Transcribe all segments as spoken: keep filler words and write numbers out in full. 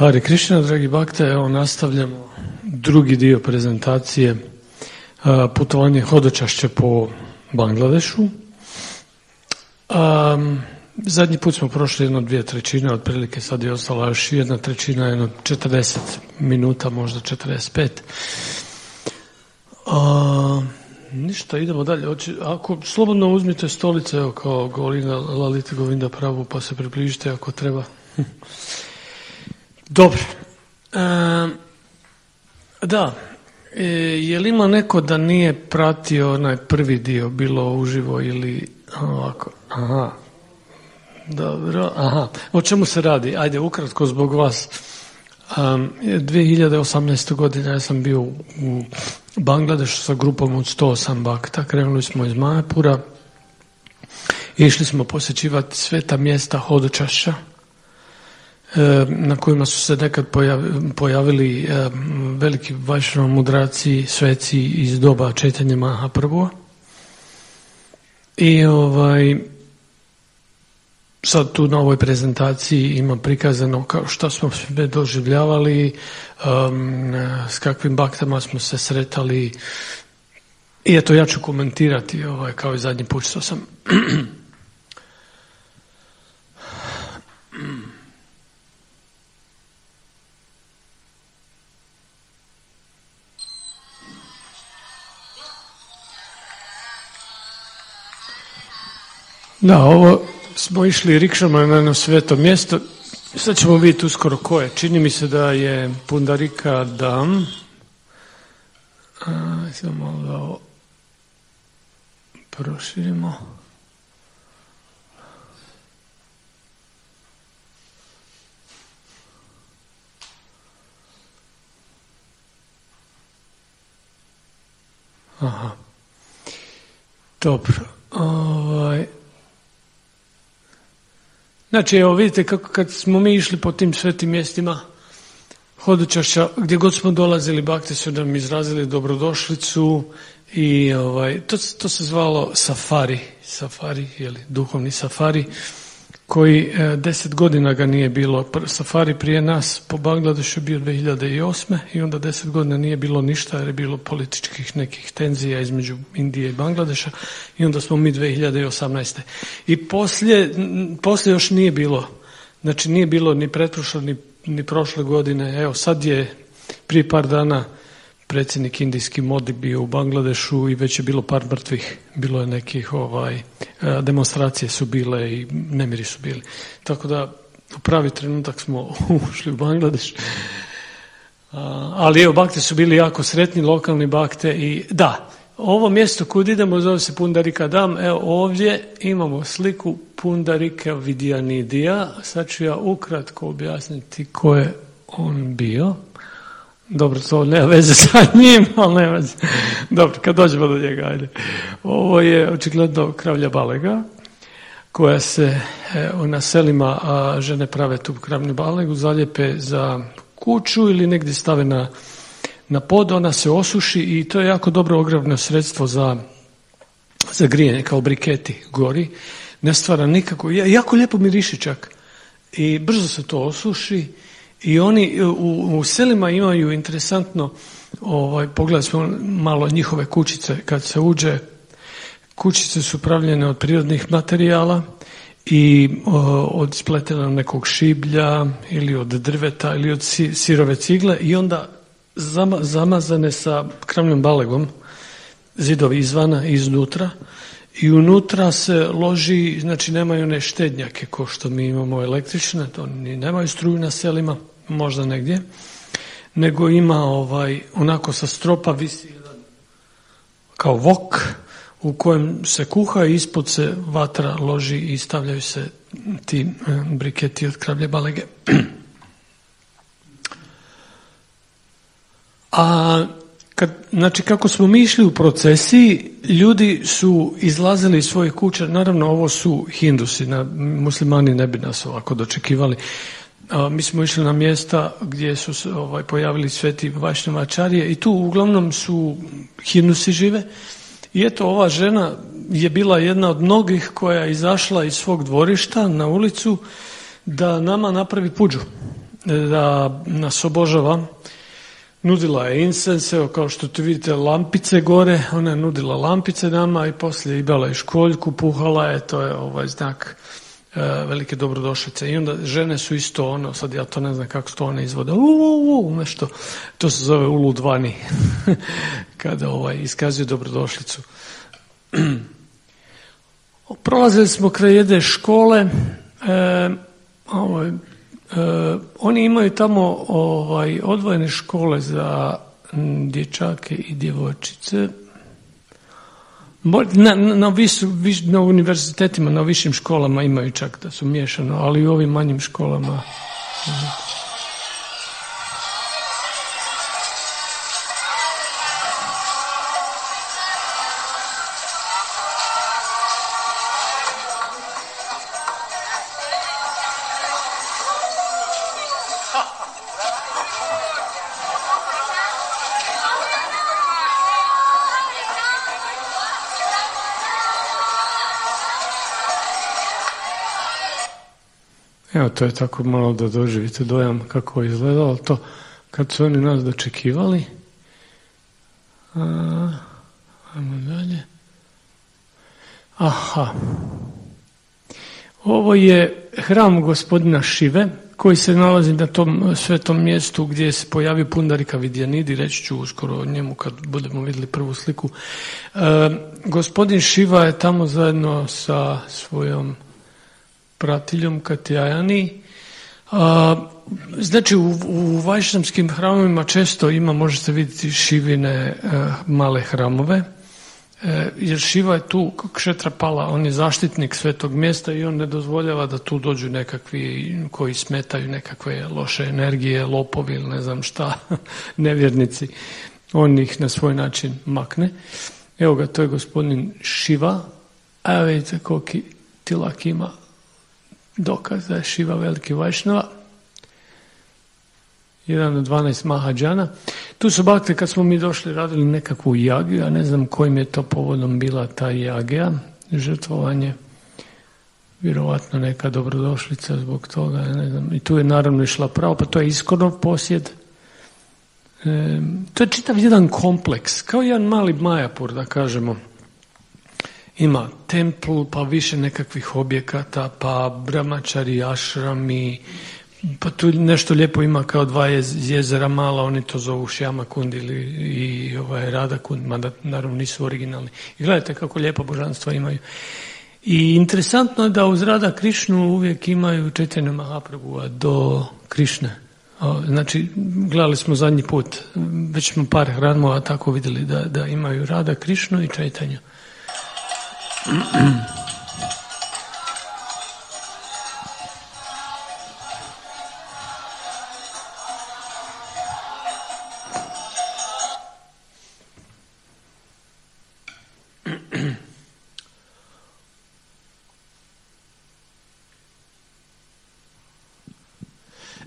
Hare Krishna, dragi bakte, evo nastavljamo drugi dio prezentacije putovanje hodočašća po Bangladešu. Um, zadnji put smo prošli jedno dvije trećine, otprilike sad je ostala još jedna trećina, jedno četrdeset minuta, možda četrdeset pet. Uh, ništa, idemo dalje. Ako slobodno uzmite stolice, evo kao Govinda, Lalita Govinda Prabhu, pa se približite ako treba. Dobro. E, da, e, je li ima neko da nije pratio onaj prvi dio, bilo uživo ili ovako? Aha. Dobro, aha. O čemu se radi? Ajde, ukratko zbog vas. Um, dvije hiljade osamnaeste. godine ja sam bio u Bangladešu sa grupom od sto osam bakta. Krenuli smo iz Majapura. Išli smo posjećivati sveta mjesta hodočašća, na kojima su se nekad pojavili veliki vajšnava mudraci, sveci iz doba Čaitanje Mahaprabhua. I ovaj, sad tu na ovoj prezentaciji ima prikazano kao što smo sve doživljavali, um, s kakvim baktama smo se sretali. I eto, ja ću komentirati ovaj, kao i zadnji put što sam. Da, ovo smo išli rikšama na jedno sveto mjesto. Sad ćemo vidjeti uskoro ko je. Čini mi se da je Pundarika Dam. A, samo malo da ovo proširimo. Aha. Dobro. Ovaj... Znači, evo vidite kako kad smo mi išli po tim svetim mjestima hodočašća, gdje god smo dolazili, bakte su nam izrazili dobrodošlicu i ovaj, to, to se zvalo safari, safari, jeli, duhovni safari, koji eh, deset godina ga nije bilo. Safari prije nas po Bangladešu bio dvije hiljade osme. i onda deset godina nije bilo ništa jer je bilo političkih nekih tenzija između Indije i Bangladeša i onda smo mi dvije hiljade osamnaeste. I poslije, poslije još nije bilo, znači nije bilo ni pretprošle ni, ni prošle godine. Evo sad je prije par dana predsjednik indijski Modi bio u Bangladešu i već je bilo par mrtvih, bilo je nekih ovaj, demonstracije su bile i nemiri su bili. Tako da u pravi trenutak smo ušli u Bangladeš. Ali evo, bakte su bili jako sretni, lokalni bakte i da, ovo mjesto kud idemo zove se Pundarika Dam. Evo ovdje imamo sliku Pundarika Vidyanidhya. Sad ću ja ukratko objasniti ko je on bio. Dobro, to nema veze sa njim, ali nema veze. Dobro, kad dođemo do njega, ajde. Ovo je očigledno kravlja balega, koja se e, na selima a, žene prave tu kravlju balegu, zalijepe za kuću ili negdje stave na, na pod, ona se osuši i to je jako dobro ogrevno sredstvo za, za grijanje, kao briketi gori. Ne stvara nikako, jako lijepo miriši čak i brzo se to osuši. I oni u, u selima imaju interesantno, ovaj, pogledali smo malo njihove kućice, kad se uđe, kućice su pravljene od prirodnih materijala i o, od spletena nekog šiblja ili od drveta ili od si, sirove cigle i onda zama, zamazane sa kravljom balegom, zidovi izvana i iznutra. I unutra se loži, znači nemaju one štednjake ko što mi imamo električne, to ni nemaju struju na selima, možda negdje, nego ima ovaj, onako sa stropa visi jedan kao vok u kojem se kuha i ispod se vatra loži i stavljaju se ti briketi od kravlje balege. A kad, znači kako smo mi išli u procesiji, ljudi su izlazili iz svojih kuća, naravno ovo su Hindusi, na, muslimani ne bi nas ovako dočekivali. A, mi smo išli na mjesta gdje su se ovaj, pojavili sveti vajšnavačarije i tu uglavnom su Hindusi žive. I eto, ova žena je bila jedna od mnogih koja je izašla iz svog dvorišta na ulicu da nama napravi puđu. da nas obožava. Nudila je incense, evo kao što tu vidite lampice gore, ona je nudila lampice nama i poslije imala je školjku, puhala je, to je ovaj znak e, velike dobrodošlice. I onda žene su isto ono, sad ja to ne znam kako se to one izvode, uuu, nešto, to se zove uludvani, kada ovaj, iskazuju dobrodošlicu. Prolazili smo kraj jedne škole, e, ovaj, Uh, oni imaju tamo ovaj, odvojene škole za m, dječake i djevojčice. Na, na, visu, viš, na univerzitetima, na višim školama imaju čak da su miješano, ali i u ovim manjim školama. Evo, to je tako malo da doživite dojam kako je izgledalo to kad su oni nas dočekivali. A, ajmo dalje. Aha. Ovo je hram gospodina Šive koji se nalazi na tom svetom mjestu gdje se pojavio Pundarika Vidyanidhi, reći ću uskoro o njemu kad budemo vidjeli prvu sliku. E, gospodin Šiva je tamo zajedno sa svojom pratiljom Katyayani. A, znači u, u vajšnavskim hramovima često ima, možete vidjeti Šivine a, male hramove, e, jer Šiva je tu Kshetrapala, on je zaštitnik svetog mjesta i on ne dozvoljava da tu dođu nekakvi koji smetaju nekakve loše energije, lopovi ili ne znam šta, nevjernici. On ih na svoj način makne. Evo ga, to je gospodin Šiva, a vidite koliki tilak ima, dokaz da je Šiva veliki vajšnava, jedan od dvanaest mahadžana. Tu su bakte, kad smo mi došli, radili nekakvu jagiju, ja ne znam kojim je to povodom bila ta jagija, žrtvovanje, vjerovatno neka dobrodošlica zbog toga, ne znam. I tu je naravno išla pravo, pa to je Iskonov posjed. E, to je čitav jedan kompleks, kao jedan mali Majapur, da kažemo. Ima templ, pa više nekakvih objekata, pa brahmačari, ašrami, pa tu nešto lijepo ima kao dva jezera mala, oni to zovu Šjama Kund ili i ovaj Rada Kund, mada naravno nisu originalni. I gledajte kako lijepa božanstva imaju. I interesantno je da uz Rada Krišnu uvijek imaju Čaitanja Mahaprabhua do Krišne. Znači, gledali smo zadnji put, već smo par hramova tako vidjeli da, da imaju Rada Krišnu i Čaitanju.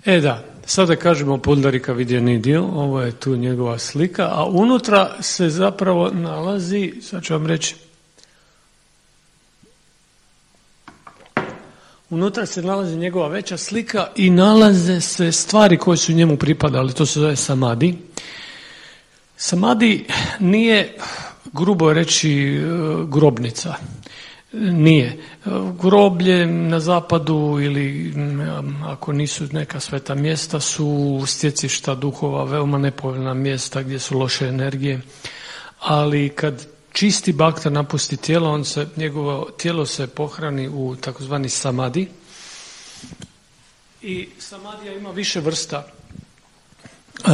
E da, sada kažemo Pundarika Vidyanidhi, ovo je tu njegova slika, a unutra se zapravo nalazi, sad ću vam reći, unutra se nalazi njegova veća slika i nalaze se stvari koje su njemu pripadali, to se zove samadi. Samadi nije, grubo reći, grobnica. Nije. Groblje na zapadu ili ako nisu neka sveta mjesta su stjecišta duhova, veoma nepovoljna mjesta gdje su loše energije, ali kad čisti bakta napusti tijelo, on se, njegovo tijelo se pohrani u takozvani samadi. I samadija ima više vrsta. Uh,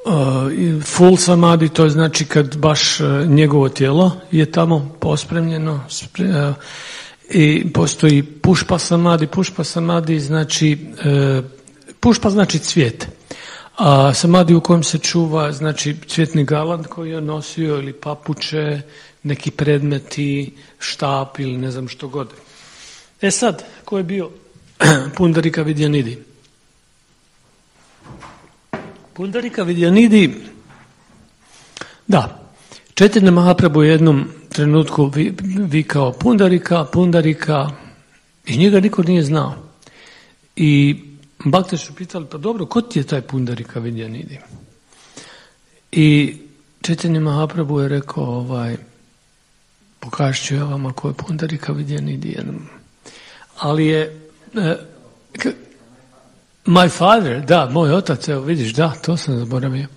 uh, full samadi, to je znači kad baš uh, njegovo tijelo je tamo pospremljeno. Uh, I postoji pušpa samadi. Pušpa samadi znači, uh, pušpa znači cvijet. A samadi u kojem se čuva, znači cvjetni galant koji je nosio ili papuče, neki predmeti, štap ili ne znam što god. E sad, ko je bio Pundarika Vidyanidhi? Pundarika Vidyanidhi, da, Čaitanja Mahaprabhu u jednom trenutku vikao Pundarika, Pundarika i njega niko nije znao. I Bakte su pitali, pa dobro, ko ti je taj Pundarika Vidyanidhi? I Chaitanya Mahaprabhu je rekao, ovaj, pokažit ću ja vama ko je Pundarika Vidyanidhi. Ali je, eh, k- my father, da, moj otac, evo vidiš, da, to sam zaboravio.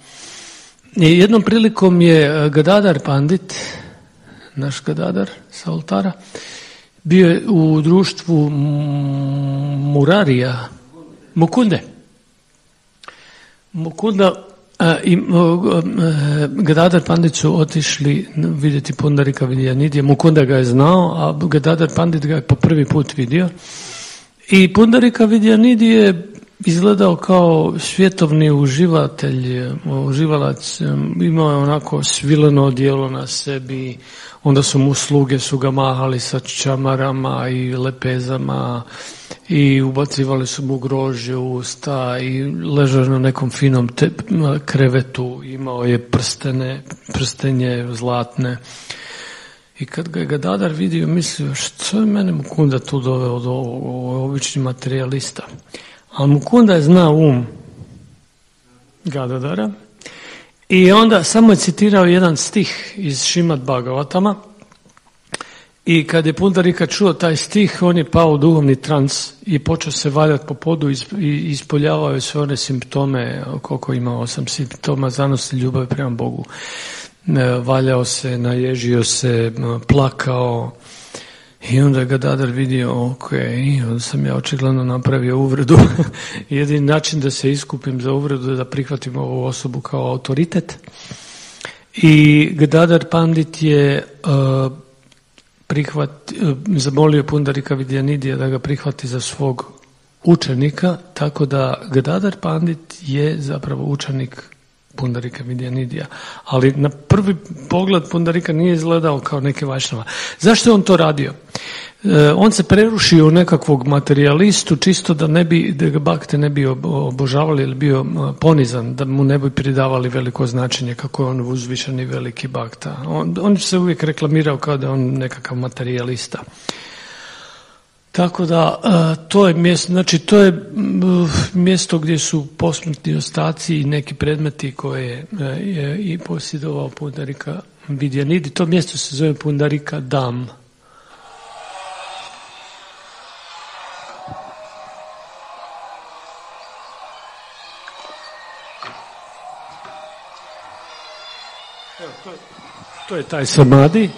I jednom prilikom je Gadadhar Pandit, naš Gadadhar sa oltara, bio je u društvu Murarija, Mukunde. Mukunda a, i Gadadhar Pandit su otišli vidjeti Pundarika Vidyanidhija. Mukunda ga je znao, a Gadadhar Pandit ga je po prvi put vidio. I Pundarika Vidyanidhi je izgledao kao svjetovni uživatelj, uživalac, imao je onako svileno odijelo na sebi, onda su mu sluge su ga mahali sa čamarama i lepezama i ubacivali su mu grožđe u usta i ležao na nekom finom te, krevetu, imao je prstene, prstenje zlatne. I kad ga je Gadadhar vidio, mislio, što je mene Mukunda tu doveo od ovog, obični materijalista. Ali Mukunda je znao um Gadadhara i onda samo je citirao jedan stih iz Šrimad Bhagavatama i kad je Pundarika čuo taj stih, on je pao u duhovni trans i počeo se valjati po podu i ispoljavao je sve one simptome, koliko ima osam simptoma zanosti ljubavi prema Bogu. Valjao se, naježio se, plakao. I onda je Gadadhar vidio, ok, onda sam ja očigledno napravio uvredu. Jedini način da se iskupim za uvredu je da prihvatim ovu osobu kao autoritet. I Gadadhar Pandit je uh, prihvat, uh, zamolio Pundarika Vidyanidhija da ga prihvati za svog učenika, tako da Gadadhar Pandit je zapravo učenik Pundarika Vidyanidhija. Ali na prvi pogled Pundarika nije izgledao kao neki vajšnava. Zašto je on to radio? E, on se prerušio u nekakvog materijalistu čisto da ne bi, da ga bakte ne bi obožavali ili bio ponizan, da mu ne bi pridavali veliko značenje kako je on uzvišeni veliki bakta. On, on se uvijek reklamirao kao da je on nekakav materijalista. Tako da to je mjesto, znači to je mjesto gdje su posmrtni ostaci i neki predmeti koje je i posjedovao Pundarika Vidyanidhi. To mjesto se zove Pundarika Dham. Evo, to je, to je taj samadhi.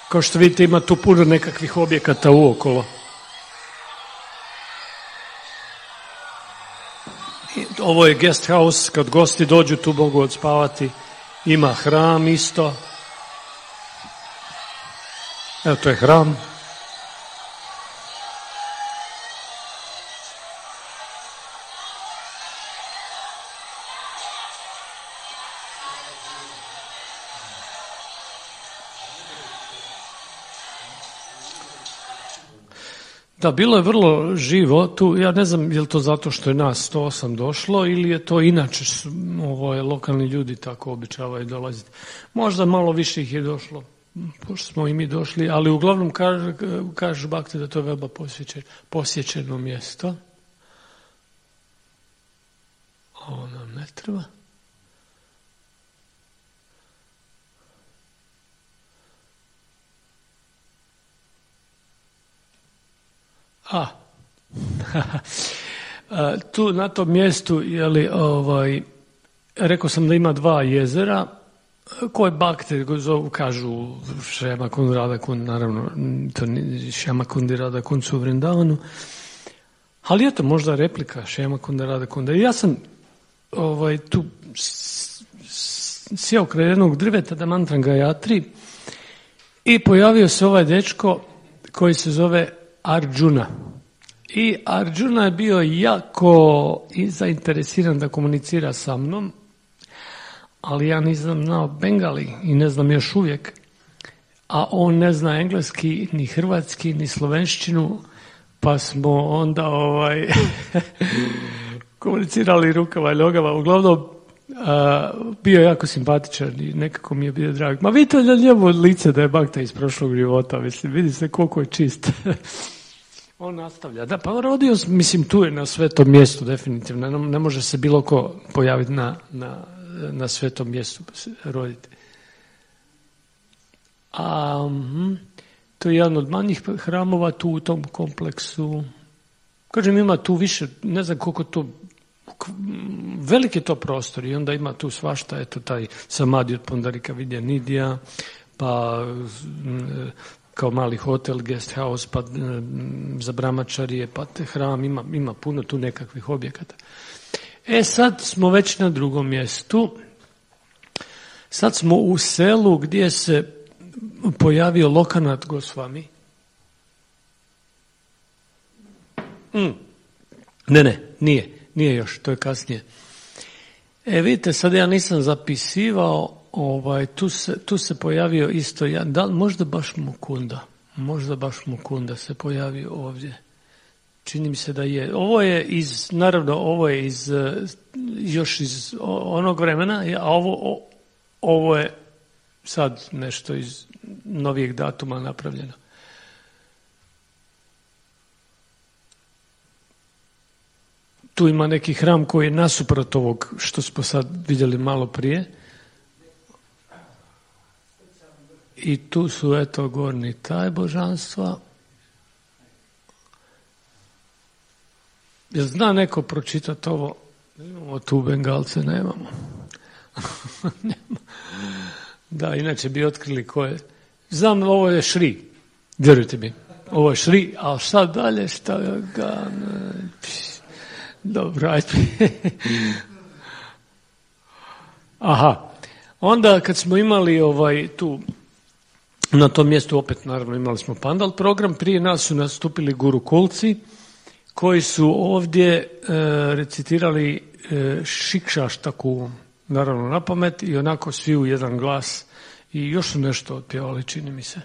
Kao što vidite, ima tu puno nekakvih objekata uokolo. Ovo je guest house, kad gosti dođu tu mogu odspavati. Ima hram isto. Evo, to je hram. Da, bilo je vrlo živo tu, ja ne znam je li to zato što je nas sto osam došlo ili je to inače ovo je, lokalni ljudi tako običavaju dolaziti. Možda malo više ih je došlo, pošto smo i mi došli, ali uglavnom kažu kaž bakte da to je veoma posjećeno, posjećeno mjesto. Ovo nam ne treba. A, tu na tom mjestu, jeli, ovaj, rekao sam da ima dva jezera, koje bakte zovu, kažu Šjama Kund, Radha Kund, naravno, to Šjama Kund i Radha Kund su u Vrindavanu, ali eto, možda replika Šjama Kunda, Radha Kunda. I ja sam ovaj, tu sjeo kraj jednog drveta da mantram Gayatri i pojavio se ovaj dečko koji se zove Arjuna. I Arjuna je bio jako i zainteresiran da komunicira sa mnom, ali ja nisam znao bengali i ne znam još uvijek, a on ne zna engleski, ni hrvatski, ni slovenščinu, pa smo onda ovaj komunicirali rukava i nogava. Uglavnom, a, bio je jako simpatičan i nekako mi je bio drag. Ma vidite na njemu lice da je bakta iz prošlog života, mislim, vidi se koliko je čist. On nastavlja. Da, pa rodio, mislim, tu je na svetom mjestu, definitivno. Ne, ne može se bilo ko pojaviti na, na, na svetom mjestu roditi. A hm, to je jedan od manjih hramova tu u tom kompleksu. Kažem, ima tu više, ne znam koliko to, veliki je to prostor i onda ima tu svašta, eto taj Samadi od Pondarika Vidya Nidija, pa kao mali hotel, guest house, pa za brahmačarije, pa te hram, ima, ima puno tu nekakvih objekata. E sad smo već na drugom mjestu. Sad smo u selu gdje se pojavio Lokanath Goswami. Mm. Ne, ne, nije, nije još, to je kasnije. E vidite, sad ja nisam zapisivao, ovaj, tu, se, tu se pojavio isto, ja, da, možda baš Mukunda, možda baš Mukunda se pojavio ovdje. Čini mi se da je. Ovo je iz, naravno, ovo je iz, još iz onog vremena, a ovo, ovo je sad nešto iz novijeg datuma napravljeno. Tu ima neki hram koji je nasuprot ovog što smo sad vidjeli malo prije. I tu su, eto, gornji taj božanstva. Jel zna neko pročitati ovo? Imamo tu Bengalce, nemamo. Nema. Da, inače bi otkrili ko je. Znam, ovo je Šri. Vjerujte mi. Ovo je Šri, a šta dalje, šta ga... Dobro, ajde. Aha. Onda kad smo imali ovaj tu, na tom mjestu opet naravno imali smo Pandal program, prije nas su nastupili gurukulci koji su ovdje e, recitirali e, Šikšaštaku, naravno na pamet i onako svi u jedan glas i još su nešto otpjevali, čini mi se.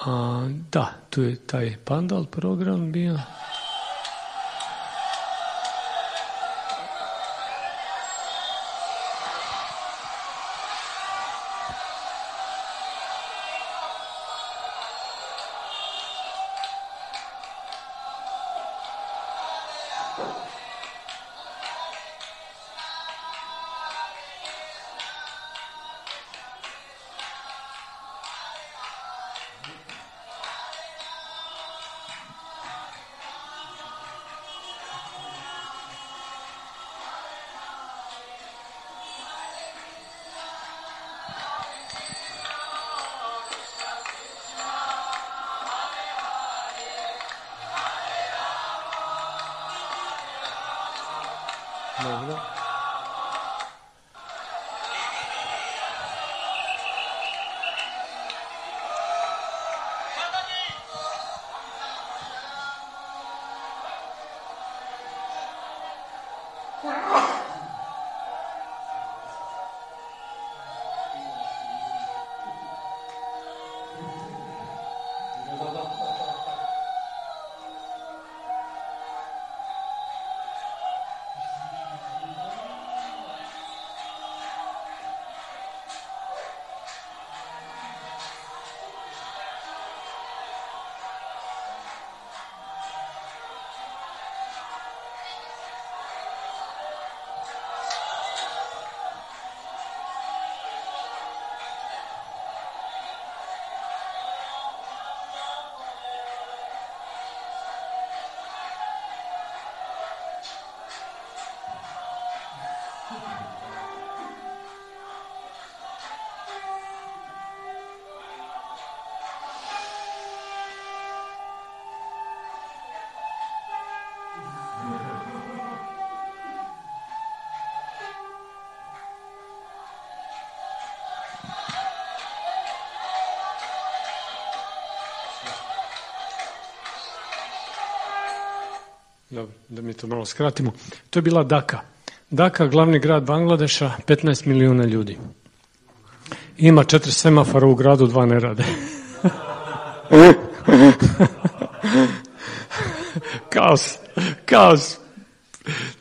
A, da, tu je taj Pandal program bio. Dobro. Dobro, da mi to malo skratimo. To je bila Dhaka. Dhaka, glavni grad Bangladeša, petnaest milijuna ljudi. Ima četiri semafora u gradu, dva ne rade. Kaos, kaos.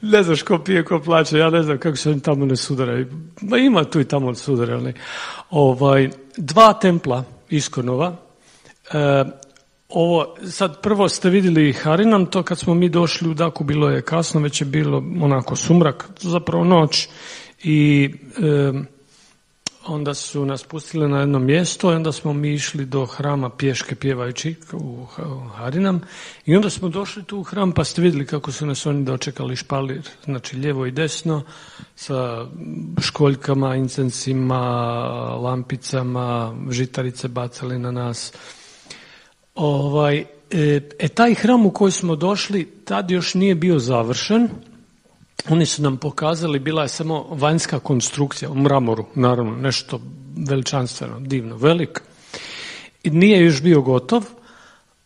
Ne znaš ko pije, ko plaće, ja ne znam kako se oni tamo ne sudaraju. Ma ima tu i tamo sudare, ali ovaj, dva templa iskonova. E, ovo, sad prvo ste vidjeli Harinam, to kad smo mi došli u Daku bilo je kasno, već je bilo onako sumrak, zapravo noć i e, onda su nas pustili na jedno mjesto i onda smo mi išli do hrama pješke pjevajući u Harinam i onda smo došli tu u hram pa ste vidjeli kako su nas oni dočekali špalir, znači lijevo i desno sa školjkama, incensima, lampicama, žitarice bacali na nas. Ovaj, e, e, taj hram u koji smo došli tad još nije bio završen. Oni su nam pokazali, bila je samo vanjska konstrukcija u mramoru, naravno, nešto veličanstveno, divno, velik. I nije još bio gotov.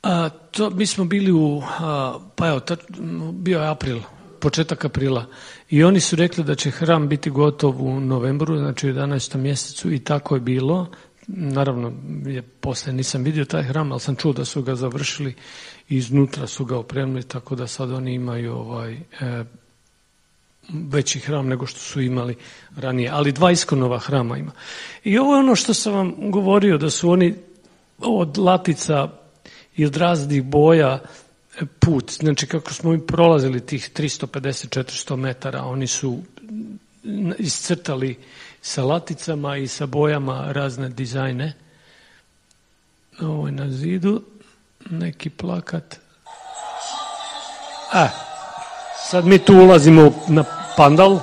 A, to, mi smo bili u, a, pa evo, ta, bio je april, početak aprila. I oni su rekli da će hram biti gotov u novembru, znači u jedanaestom mjesecu i tako je bilo. Naravno, je, poslije nisam vidio taj hram, ali sam čuo da su ga završili i iznutra su ga opremili, tako da sad oni imaju ovaj... E, veći hram nego što su imali ranije, ali dva iskonova hrama ima. I ovo je ono što sam vam govorio, da su oni od latica i od raznih boja put, znači kako smo mi prolazili tih tristo pedeset do četiristo metara, oni su iscrtali sa laticama i sa bojama razne dizajne. Ovo je na zidu, neki plakat. A, sad mi tu ulazimo na pandal.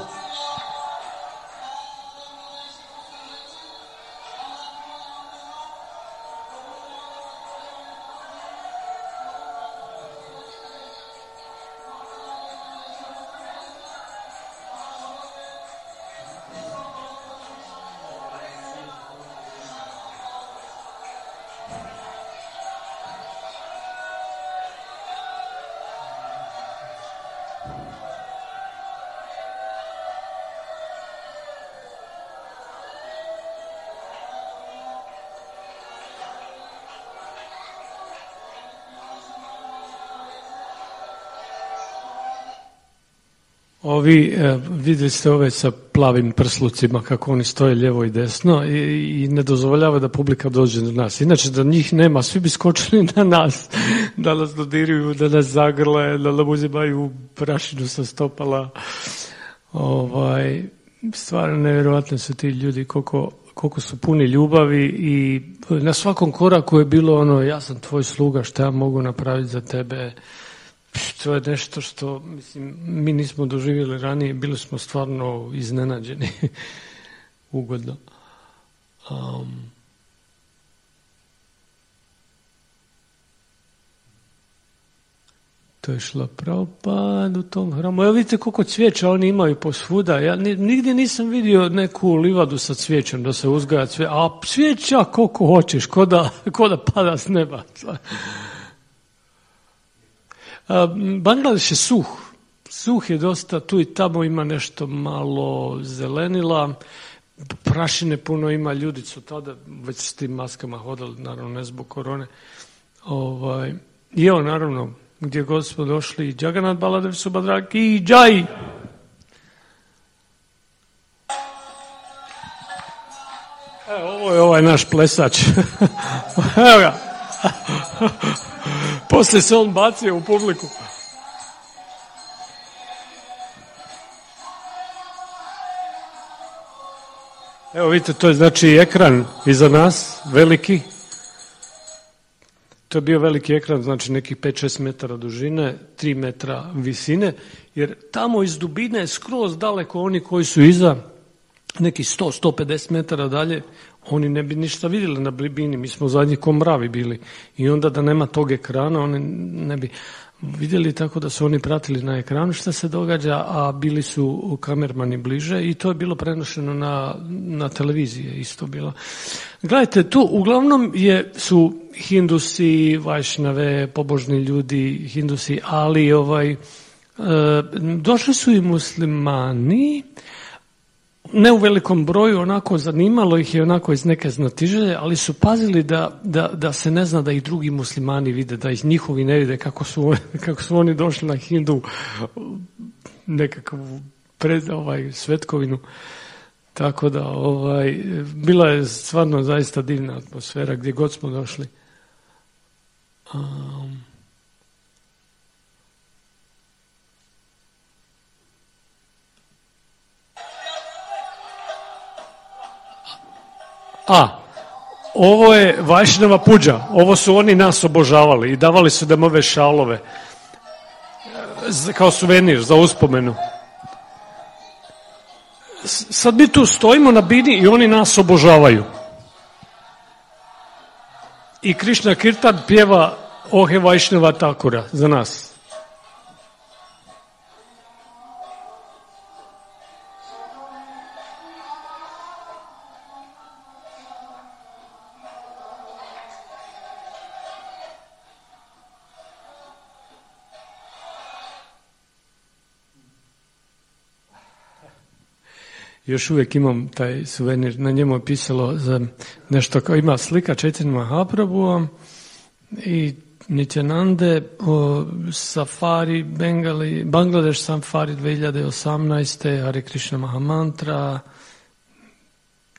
Ovi, eh, vidjeli ste ove sa plavim prslucima kako oni stoje lijevo i desno i, i ne dozvoljava da publika dođe do nas. Inače da njih nema, svi bi skočili na nas, da nas dodiruju, da nas zagrle, da nam uzimaju prašinu sa stopala. Ovaj, stvarno nevjerojatno su ti ljudi koliko, koliko su puni ljubavi i na svakom koraku je bilo ono, ja sam tvoj sluga, šta ja mogu napraviti za tebe. To je nešto što, mislim, mi nismo doživjeli ranije, bili smo stvarno iznenađeni, ugodno. Um, to je šla Prabhupada u tom hramu. Evo vidite koliko cvijeća oni imaju posvuda. Ja nigdje nisam vidio neku livadu sa cvijećem da se uzgaja cvijeća, a cvijeća koliko hoćeš, ko da, ko da pada s neba. Bangladeš je suh. Suh je dosta, tu i tamo ima nešto malo zelenila, prašine puno ima, ljudi su tada već s tim maskama hodali, naravno ne zbog korone. Ovaj, I evo naravno, gdje god smo došli, Jagannath Baladev Subhadra ki jai! Evo, ovo je ovaj naš plesač. Evo ga. Poslije se on bacio u publiku. Evo vidite, to je znači ekran iza nas, veliki. To je bio veliki ekran, znači nekih pet do šest metara dužine, tri metra visine, jer tamo iz dubine je skroz daleko oni koji su iza, nekih sto do sto pedeset metara dalje, oni ne bi ništa vidjeli na blibini, mi smo zadnji ko mravi bili. I onda da nema tog ekrana, oni ne bi vidjeli, tako da su oni pratili na ekranu šta se događa, a bili su kamermani bliže i to je bilo prenošeno na, na televiziji, isto bilo. Gledajte, tu uglavnom je, su Hindusi, Vajšnave, pobožni ljudi, Hindusi, ali ovaj, e, došli su i muslimani, ne u velikom broju, onako zanimalo ih je onako iz neke znatiželje, ali su pazili da, da, da se ne zna da i drugi muslimani vide, da ih njihovi ne vide kako su, kako su oni došli na Hindu nekakvu pred ovaj svetkovinu. Tako da, ovaj, bila je stvarno zaista divna atmosfera gdje god smo došli. Um, a, ovo je Vajšnava puđa. Ovo su oni nas obožavali i davali su nam ove šalove kao suvenir za uspomenu. Sad mi tu stojimo na bini i oni nas obožavaju. I Krishna Kirtan pjeva Ohe Vajšnava Thakura za nas. Još uvijek imam taj suvenir, na njemu je pisalo za nešto kao ima slika Chaitanya Mahaprabhu i Nityanande o Safari Bengali, Bangladeš Safari dvije hiljade osamnaeste. Hare Krishna Mahamantra,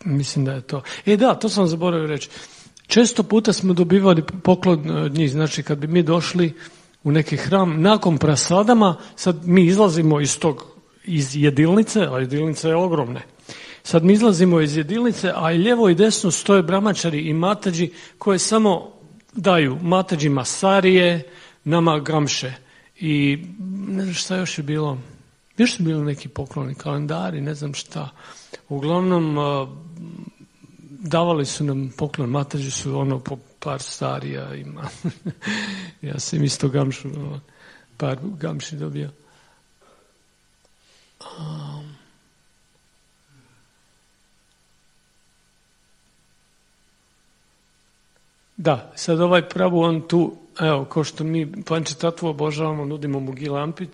mislim da je to. E da, to sam zaboravio reći. Često puta smo dobivali poklon od njih, znači kad bi mi došli u neki hram, nakon prasadama, sad mi izlazimo iz tog iz jedilnice, a jedilnica je ogromne. Sad mi izlazimo iz jedilnice, a i lijevo i desno stoje brahmačari i matađi koje samo daju matađima sarije, nama gamše. I ne znam šta još je bilo. Još su bili neki pokloni, kalendari, ne znam šta. Uglavnom, davali su nam poklon, matađi su ono po par sarija ima. Ja sam isto gamšu, par gamši dobio. Um, da, sad ovaj Prabhu on tu, evo, kao što mi Pančetatvu obožavamo, nudimo mu gilampice,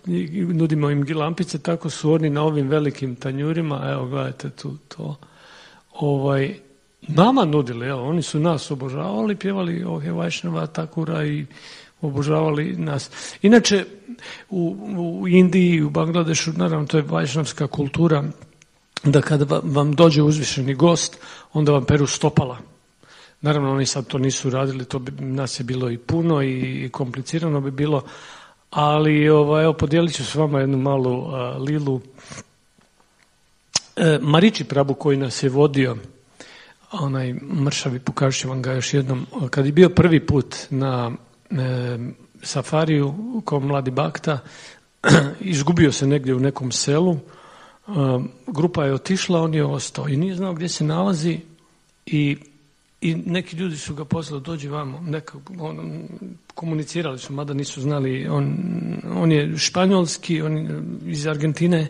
nudimo im gilampice, tako su oni na ovim velikim tanjurima, evo gledajte tu to, ovaj, nama nudili, evo, oni su nas obožavali, pjevali Ohe Vajšnava Thakura i obožavali nas. Inače, u, u Indiji, u Bangladešu, naravno, to je vajšnavska kultura, da kada vam dođe uzvišeni gost, onda vam peru stopala. Naravno, oni sad to nisu radili, to bi, nas je bilo i puno i, i komplicirano bi bilo, ali ovaj, evo, podijelit ću s vama jednu malu uh, lilu. E, Mariči Prabhu koji nas je vodio, onaj mršavi, pokažu ću vam ga još jednom, kad je bio prvi put na E, safariju kao mladi bakta, izgubio se negdje u nekom selu, e, grupa je otišla, on je ostao i nije znao gdje se nalazi i, i neki ljudi su ga poslali, dođi vamo, neka, on, komunicirali su, mada nisu znali, on, on je španjolski, on je iz Argentine,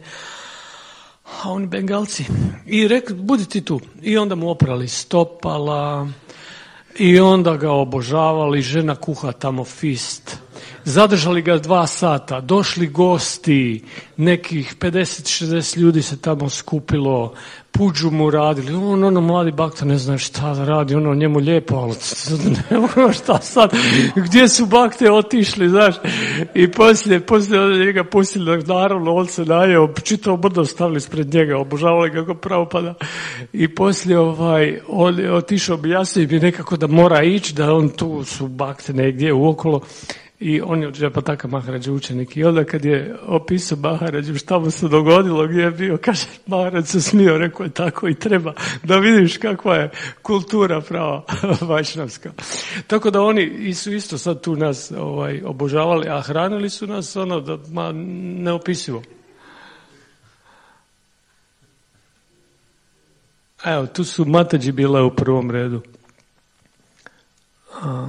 a oni Bengalci. I rekli, budi ti tu. I onda mu oprali stopala, i onda ga obožavali, žena kuha tamo fist. Zadržali ga dva sata, došli gosti, nekih pedeset šezdeset ljudi se tamo skupilo, puđu mu radili, on, ono, mladi bakta ne zna šta da radi, ono, njemu lijepo, ali ne mogu šta sad, gdje su bakte otišli, znaš, i poslije, poslije njega pustili, naravno, on se najeo, čitao brdo stavili spred njega, obožavali ga kako pravopada, i poslije, ovaj, on je otišao, objasnio bi nekako da mora ići, da on tu su bakte negdje uokolo. I on je od Džepataka Maharađa učenik. I onda kad je opisao Maharađu šta mu se dogodilo, gdje je bio, kaže, Maharađ se smio, rekao je tako i treba, da vidiš kakva je kultura prava vajšnavska. Tako da oni su isto sad tu nas ovaj, obožavali, a hranili su nas ono da, ma, neopisivo. Evo, tu su Matađi bile u prvom redu. A...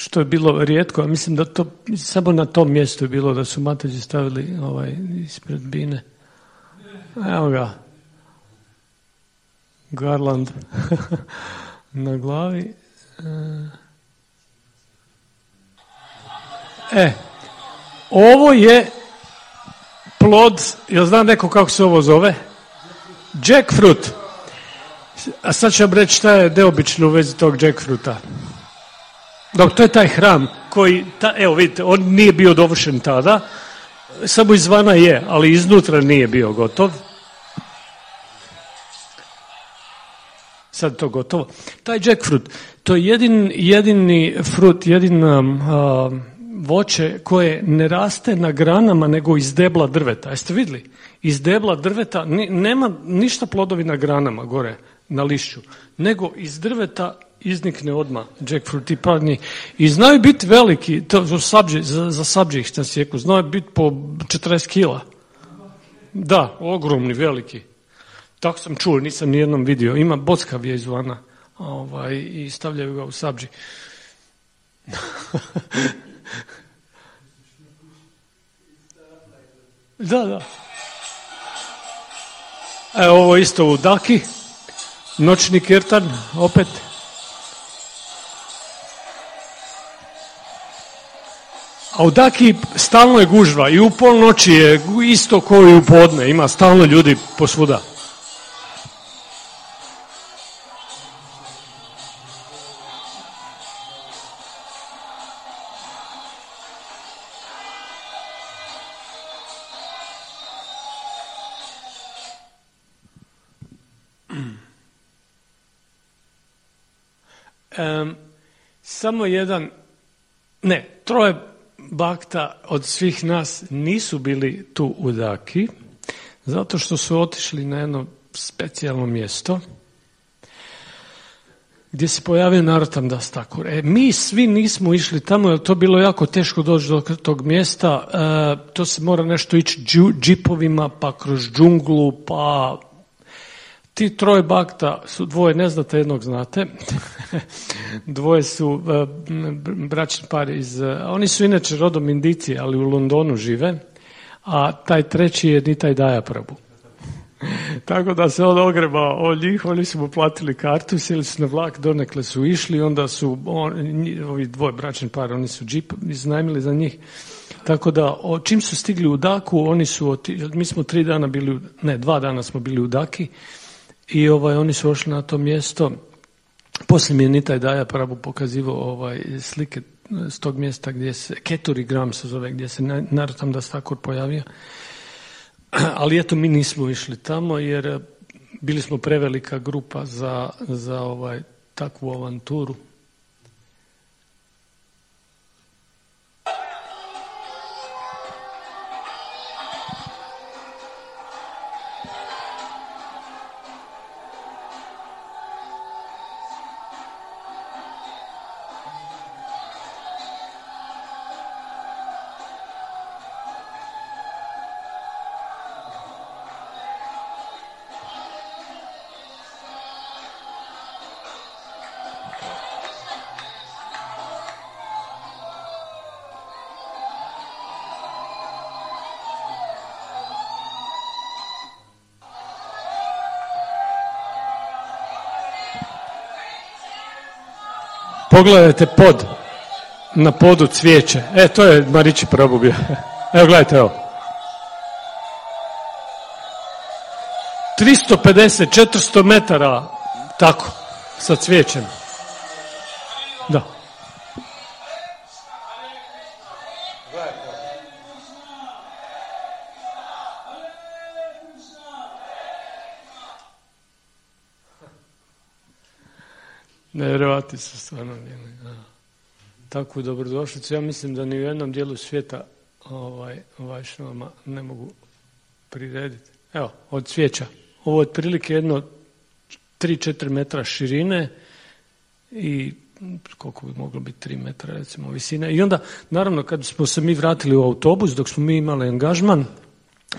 Što je bilo rijetko, a mislim da to samo na tom mjestu je bilo da su Matađi stavili ovaj ispred bine. Evo ga. Garland na glavi. E, ovo je plod, jel zna neko kako se ovo zove? Jackfruit. A sad ću vam reći šta je neobično u vezi tog jackfruta. Dok to je taj hram koji, ta, evo vidite, on nije bio dovršen tada, samo izvana je, ali iznutra nije bio gotov. sad je to gotovo. Taj jackfruit, to je jedin, jedini frut, jedina uh, voće koje ne raste na granama nego iz debla drveta. Jeste vidjeli? Iz debla drveta ni, nema ništa plodovi na granama gore na lišću, nego iz drveta iznikne odmah jackfruit i padnji. I znaju biti veliki, to za sabđe, za, za sabđe ih sam sjeku, znaju biti po četrdeset kila. Da, ogromni, veliki. Tako sam čuo, nisam nijednom vidio. Ima bockav je izvana ovaj, i stavljaju ga u sabđi. Da, da. Evo ovo isto u Daki. Noćni kirtan, opet. A u Daki stalno je gužva i u polnoći je isto kao i u podne. Ima stalno ljudi posvuda. Um, samo jedan, ne, troje bakta od svih nas nisu bili tu u Daki, zato što su otišli na jedno specijalno mjesto gdje se pojavio Narottam Das Thakur. E, mi svi nismo išli tamo, jer to bilo jako teško doći do tog mjesta. E, to se mora nešto ići džipovima, pa kroz džunglu, pa... Ti troje bakta su dvoje, ne znate, jednog znate. Dvoje su uh, bračni par iz... Uh, oni su inače rodom Indici, ali u Londonu žive. A taj treći je Nitai Daya Prabhu. Tako da se on ogrebao od njih, oni su mu platili kartu, sjeli su na vlak, donekle su išli, onda su on, ovi dvoje bračni par, oni su džip iznajmili za njih. Tako da, o, čim su stigli u Daku, oni su, oti, mi smo tri dana bili, ne, dva dana smo bili u Daki, i ovaj, oni su ošli na to mjesto. Poslije mi je Nitai Daya Prabhu pokazivao ovaj, slike s tog mjesta gdje se, Keturi Gram se zove, gdje se Narottam Das Thakur pojavio. Ali eto, mi nismo išli tamo jer bili smo prevelika grupa za, za ovaj, takvu avanturu. Pogledajte pod, na podu cvijeće. E, to je Marići Prabhu bio. Evo, gledajte, evo. tristo pedeset, četiristo metara, tako, sa cvijećem. Da. Nevjerovatni su stvarno bili. Takvu dobrodošlicu. Ja mislim da ni u jednom dijelu svijeta ovaj, vajšnavama ne mogu prirediti. Evo, od cvijeća. Ovo je otprilike jedno tri do četiri metra širine i koliko bi moglo biti tri metra recimo visine. I onda, naravno, kad smo se mi vratili u autobus, dok smo mi imali angažman,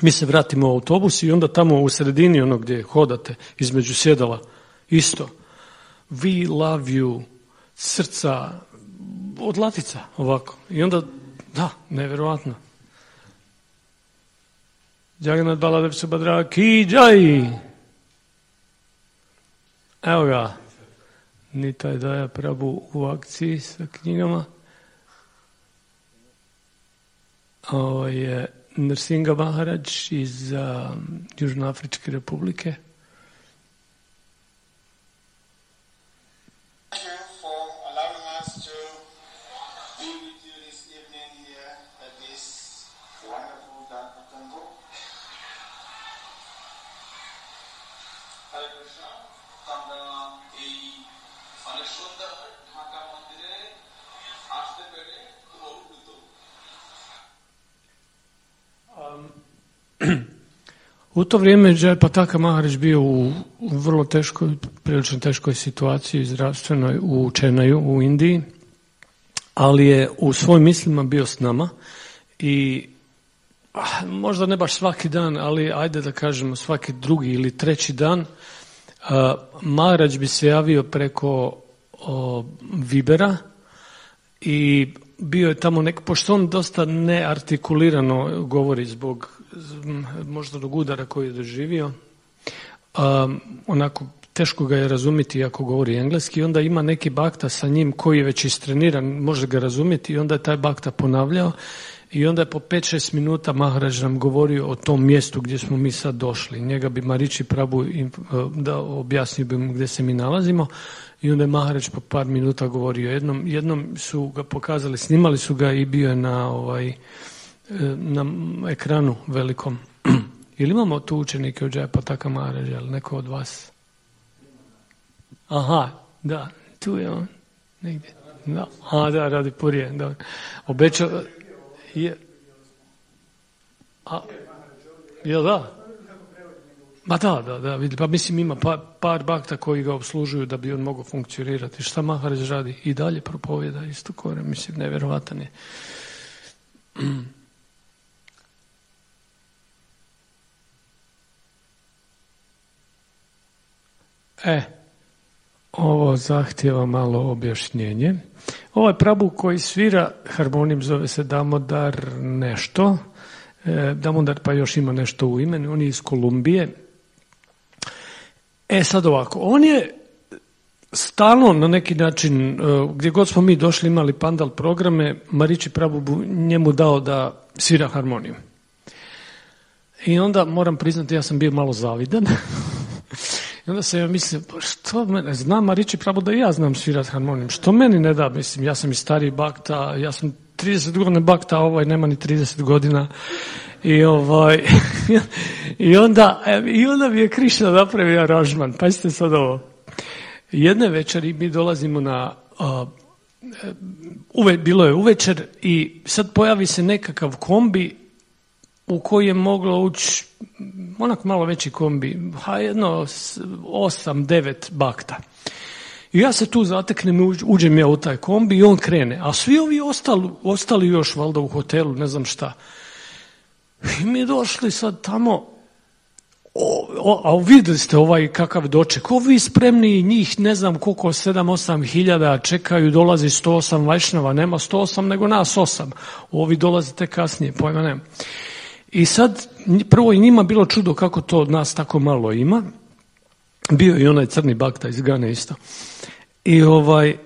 mi se vratimo u autobus i onda tamo u sredini, ono gdje hodate između sjedala, isto. We love you, srca, od latica, ovako. I onda, da, nevjerovatno. Jagannath Baladev Subhadra ki jai. Evo ga, Nitai Daya Prabhu u akciji sa knjigama. Ovo je Nrsinga Maharaj iz um, Južnoafričke republike. U to vrijeme Jai Pataka Maharaj bio u vrlo teškoj, prilično teškoj situaciji zdravstvenoj u Čenaju u Indiji, ali je u svojim mislima bio s nama i ah, možda ne baš svaki dan, ali ajde da kažemo svaki drugi ili treći dan uh, Maharaj bi se javio preko uh, Vibera i bio je tamo nek, pošto on dosta neartikulirano govori zbog možda dog udara koji je doživio, um, onako teško ga je razumjeti ako govori engleski, onda ima neki bakta sa njim koji je već istreniran, može ga razumjeti i onda je taj bakta ponavljao i onda je po pet šest minuta Maharaj nam govorio o tom mjestu gdje smo mi sad došli. Njega bi Mariči Prabhu da objasnio bi mu gdje se mi nalazimo i onda je Maharaj po par minuta govorio. Jednom, jednom su ga pokazali, snimali su ga i bio je na ovaj na ekranu velikom. Ili imamo tu učenike od Jai Pataka Maharaja, ali neko od vas? Aha, da, tu je on, negdje. Da, a da, radi Purije, da. Obećao je. A, jel da? Ma da, da, da, vidi, pa mislim ima par, par bakta koji ga obslužuju da bi on mogao funkcionirati. Šta Maharaj radi? I dalje propovjeda isto kore, mislim, nevjerovatan je. E, ovo zahtjeva malo objašnjenje. Ovaj Prabhu koji svira harmonijum zove se Damodar nešto. E, Damodar pa još ima nešto u imenu. On je iz Kolumbije. E sad ovako, on je stalno na neki način, gdje god smo mi došli imali pandal programe, Mariči Prabhu njemu dao da svira harmonijum. I onda moram priznati, ja sam bio malo zavidan. I onda sam ja mislio, što mene, znam Mariči Prabhu da i ja znam svirati harmonijum, što meni ne da, mislim, ja sam i stariji bakta, ja sam trideset godina bakta, a ovaj nema ni trideset godina. I ovaj i onda i onda mi je Krišna napravio aranžman. Pazite sad ovo. Jedne večeri mi dolazimo na uh, uve, bilo je uvečer i sad pojavi se nekakav kombi u koji je moglo ući onak malo veći kombi, ha jedno osam, devet bakta. I ja se tu zateknem, uđem ja u taj kombi i on krene. A svi ovi ostali, ostali još valjda u hotelu, ne znam šta. I mi došli sad tamo, o, o, a vidjeli ste ovaj kakav doček, ovi spremni njih ne znam koliko, sedam, osam hiljada čekaju, dolazi sto osam vajšnava, nema sto osam nego nas osam, ovi dolazite kasnije, pojma nema. I sad, prvo i njima bilo čudo kako to od nas tako malo ima, bio i onaj crni bakta iz Gane isto. I ovaj,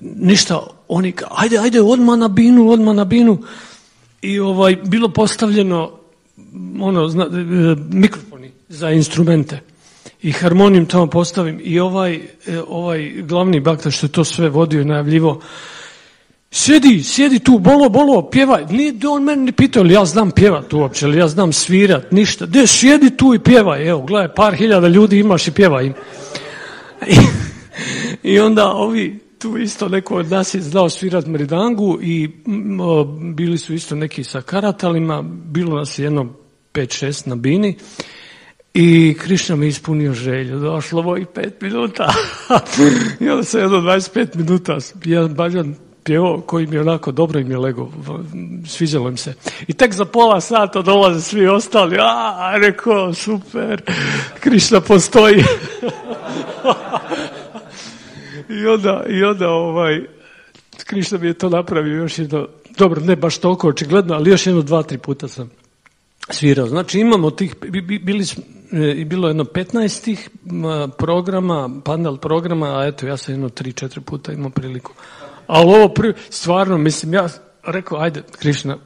ništa, oni ka, ajde, ajde, odmah na binu, odmah na binu. I ovaj, bilo postavljeno ono, zna, mikrofoni za instrumente. I harmonijum tamo postavim. I ovaj, ovaj glavni bakta što je to sve vodio i najavljivo, sjedi, sjedi tu, bolo, bolo, pjevaj. Nije on meni ni pitao, ali ja znam pjevat uopće, ali ja znam svirat, ništa. De, sjedi tu i pjevaj. Evo, gledaj, par hiljada ljudi imaš i pjevaj im. I, i onda ovi, tu isto neko od nas je znao svirat mridangu i o, bili su isto neki sa karatalima, bilo nas jedno pet šest na bini i Krišna mi ispunio želju, došlo ovo i pet minuta. I onda se jedno dvadeset pet minuta, jedan bađan pjevao koji mi je onako dobro im je lego, sviđalo im se. I tek za pola sata dolaze svi ostali, a rekao, super, Krišna postoji. I onda, i onda ovaj, Krišna mi je to napravio još jedno, dobro, ne baš toliko očigledno, ali još jedno dva, tri puta sam svirao. Znači imamo tih, bili, bilo jedno petnaest tih programa, panel programa, a eto ja sam jedno tri, četiri puta imao priliku. Ali ovo prvi, stvarno, mislim, ja rekao, ajde, Krišna,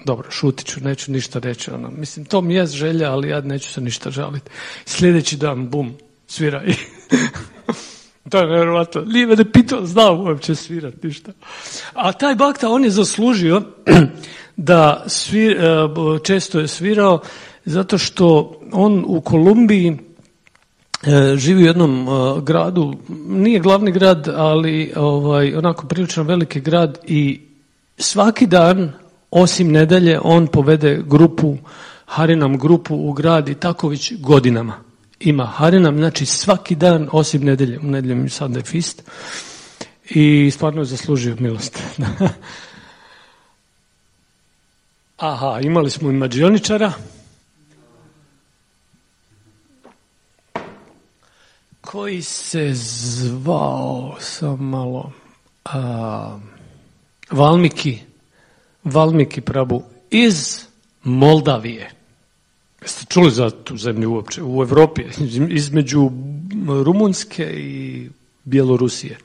dobro, šutit ću, neću ništa reći. Ono. Mislim, to mi je želja, ali ja neću se ništa žaliti. Sljedeći dan, bum, svira i... To je nevjerovatno. Nije me ne pitao, znao uopće svirati ništa. A taj bakta, on je zaslužio da svir, često je svirao zato što on u Kolumbiji e, živi u jednom e, gradu, nije glavni grad, ali ovaj, onako prilično veliki grad i svaki dan, osim nedelje, on povede grupu, Harinam grupu u grad i tako već godinama. Ima Harinam, znači svaki dan, osim nedelje, u nedeljem Sunday Feast i stvarno je zaslužio milost. Aha, imali smo i mađioničara. Koji se zvao, sam malo, a, Valmiki, Valmiki Prabhu iz Moldavije. Jeste čuli za tu zemlju uopće? U Evropi, između Rumunjske i Bjelorusije.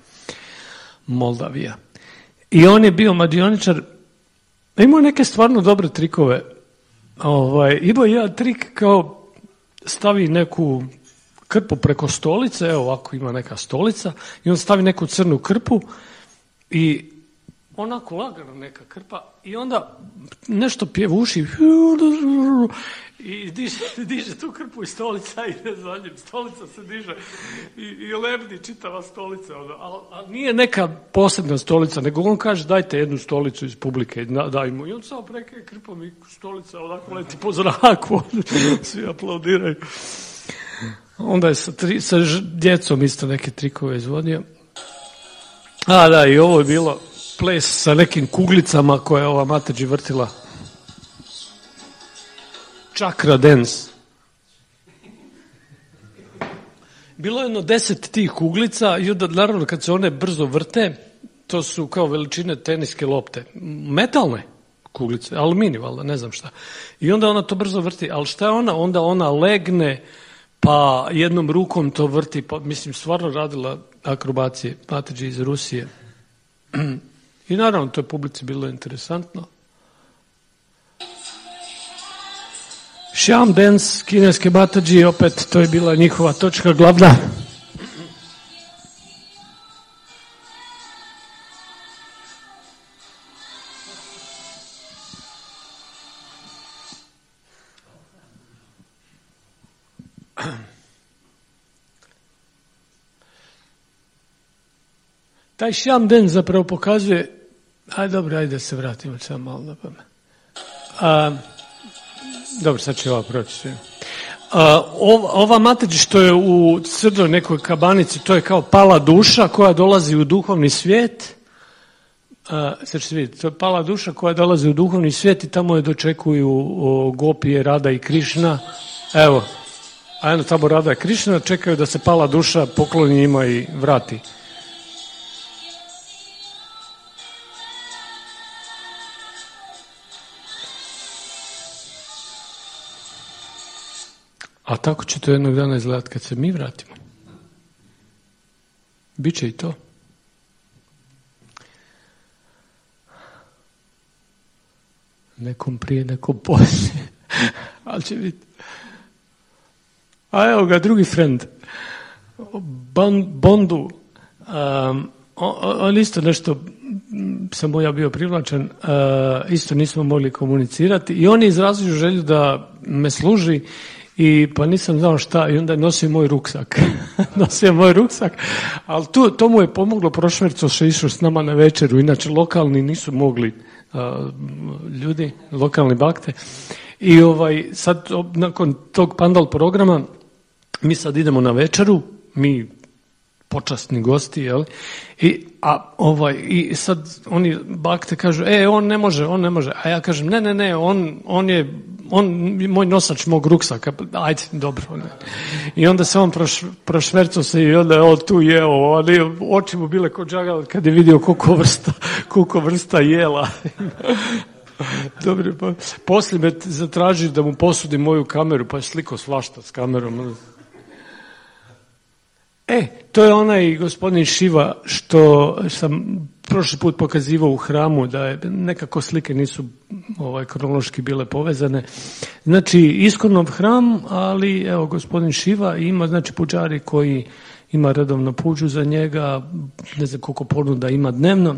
Moldavija. I on je bio mađioničar, imao neke stvarno dobre trikove. Ovaj, imao jedan trik kao stavi neku krpu preko stolice, evo ovako ima neka stolica, i on stavi neku crnu krpu i onako lagano neka krpa i onda nešto pjevuši i diže, diže tu krpu i stolica ide za njim, stolica se diže i, i lebdi čitava stolica, ali al nije neka posebna stolica, nego on kaže dajte jednu stolicu iz publike, daj mu, i on samo preke krpom i stolica onako leti po zraku, svi aplaudiraju. Onda je sa, tri, sa djecom isto neke trikove izvodio. A da, i ovo je bilo ples sa nekim kuglicama koje je ova Mataji vrtila. Chakra dance. Bilo je jedno deset tih kuglica i onda naravno kad se one brzo vrte, to su kao veličine teniske lopte. Metalne kuglice, aluminij, valjda, ne znam šta. I onda ona to brzo vrti, ali šta je ona? Onda ona legne, pa jednom rukom to vrti, pa mislim stvarno radila akrobacije Mataji iz Rusije. I naravno to je publici bilo interesantno. Sham dance kineske Mataji, opet to je bila njihova točka glavna. Taj sham dance zapravo pokazuje, aj dobro, ajde da se vratimo samo malo na pamet. A, dobro, sad će ova proći. A, ova, ova Mataji što je u crnoj nekoj kabanici, to je kao pala duša koja dolazi u duhovni svijet. A, sad ćete vidjeti, to je pala duša koja dolazi u duhovni svijet i tamo je dočekuju o, Gopije, Rada i Krišna. Evo, a jedno tamo Rada i Krišna čekaju da se pala duša pokloni njima i vrati. A tako će to jednog dana izgledati kad se mi vratimo. Biće i to. Nekom prije, nekom poslije. Ali će biti. A evo ga, drugi friend. Bondu. Um, on, on isto nešto, sam ja bio privlačen, uh, isto nismo mogli komunicirati. I on je izrazio želju da me služi. I pa nisam znao šta, i onda je nosio moj ruksak. nosio moj ruksak, ali tu, to mu je pomoglo, prošverco se išao s nama na večeru, inače lokalni nisu mogli uh, ljudi, lokalni bakte. I ovaj, sad, nakon tog pandal programa, mi sad idemo na večeru, mi počasni gosti, jel? I, a ovaj, i sad oni bakte kažu, e, on ne može, on ne može. A ja kažem, ne, ne, ne, on, on je, on, moj nosač mog ruksaka, ajde, dobro. Ne. I onda se on proš, prošvercao se i onda je on tu jeo, ali oči mu bile ko džagal kad je vidio koliko vrsta, koliko vrsta jela. Dobro, pa poslije me zatraži da mu posudim moju kameru, pa je sliko svašta s kamerom. E, to je onaj gospodin Šiva što sam prošli put pokazivao u hramu, da je nekako slike nisu ovaj, kronološki bile povezane. Znači, Iskonov hram, ali evo, gospodin Šiva ima, znači, puđari koji ima redovno puđu za njega, ne znam koliko ponuda ima dnevno.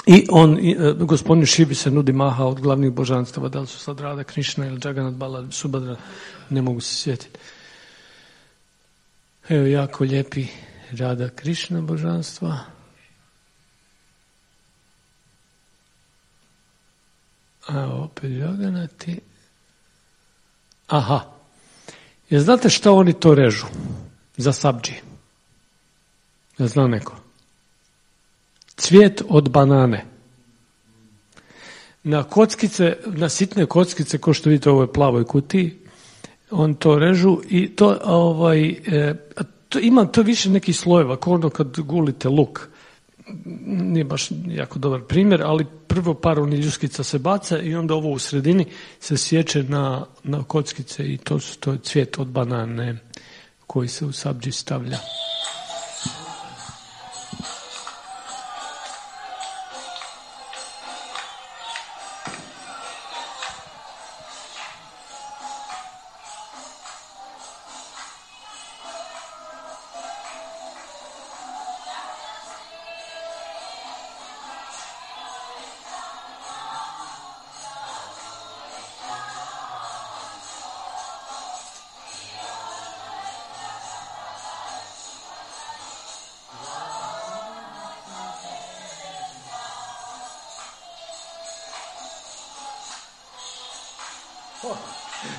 I on, gospodin Šivi se nudi maha od glavnih božanstava, da li su sad Rada, Krišna ili Jagannath Bala, Subhadra, ne mogu se sjetiti. Evo jako lijepi Rada Krišna božanstva. A opet Jaganati. Aha. Jer znate šta oni to režu? Za sabdži. Ja zna neko. Cvijet od banane. Na kockice, na sitne kockice, ko što vidite u ovoj plavoj kutiji, on to režu i to, ovaj, e, to ima to više nekih slojeva, kao ono kad gulite luk. Nije baš jako dobar primjer, ali prvo par onih ljuskica se baca i onda ovo u sredini se sječe na, na kockice i to, to je cvijet od banane koji se u sabdži stavlja.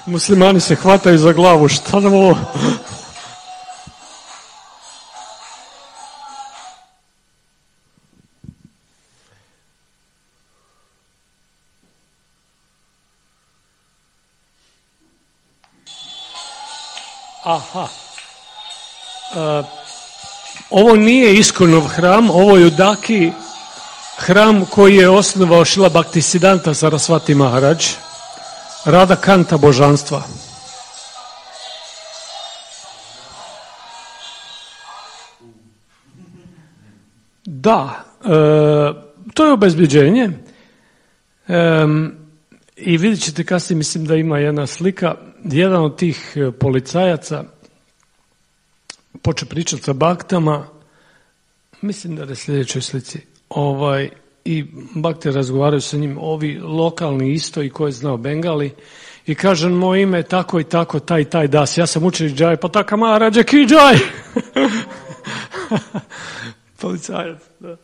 Muslimani se hvataju za glavu, šta nam ovo? Aha. Uh, ovo nije Iskonov hram, ovo je u Daki hram koji je osnovao Šrila Bhaktisiddhanta Sarasvati Maharaj. Rada Kanta božanstva. Da, e, to je obezbeđenje. E, I vidjet ćete kasnije, mislim da ima jedna slika. Jedan od tih policajaca poče pričati sa baktama, mislim da je sljedećoj slici, ovaj, i bakte razgovaraju sa njim, ovi lokalni isto i ko je znao Bengali, i kaže, moje ime je tako i tako, taj i taj das, ja sam učenik Džaj, pa taka Maharađa ki Džaj. Policajac, da.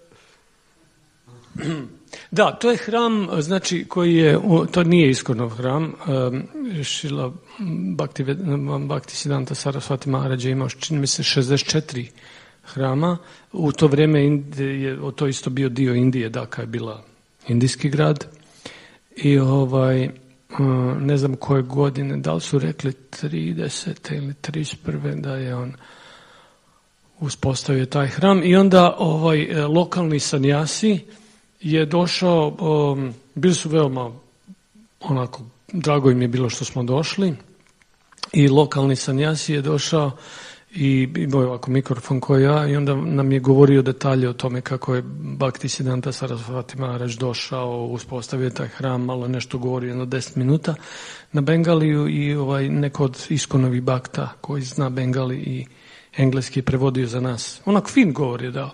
Da, to je hram, znači, koji je, to nije Iskonov hram, Šrila Bhaktisiddhanta Sarasvati Maharaj je imao, čini mi se, šezdeset četiri hrama. U to vrijeme je to isto bio dio Indije, Daka je bila indijski grad. I ovaj, ne znam koje godine, da li su rekli tridesete ili trideset prve da je on uspostavio taj hram. I onda ovaj lokalni sanjasi je došao, um, bili su veoma onako, drago im je bilo što smo došli, i lokalni sanjasi je došao i imao je ovako mikrofon koji ja, i onda nam je govorio detalje o tome kako je Bhaktisiddhanta Sarasvati Maharaj došao, uspostavio taj hram, malo nešto govorio, jedno deset minuta na Bengaliju, i ovaj, neko od Iskonovi bakta koji zna Bengali i engleski je prevodio za nas. Onako fin govor je dao.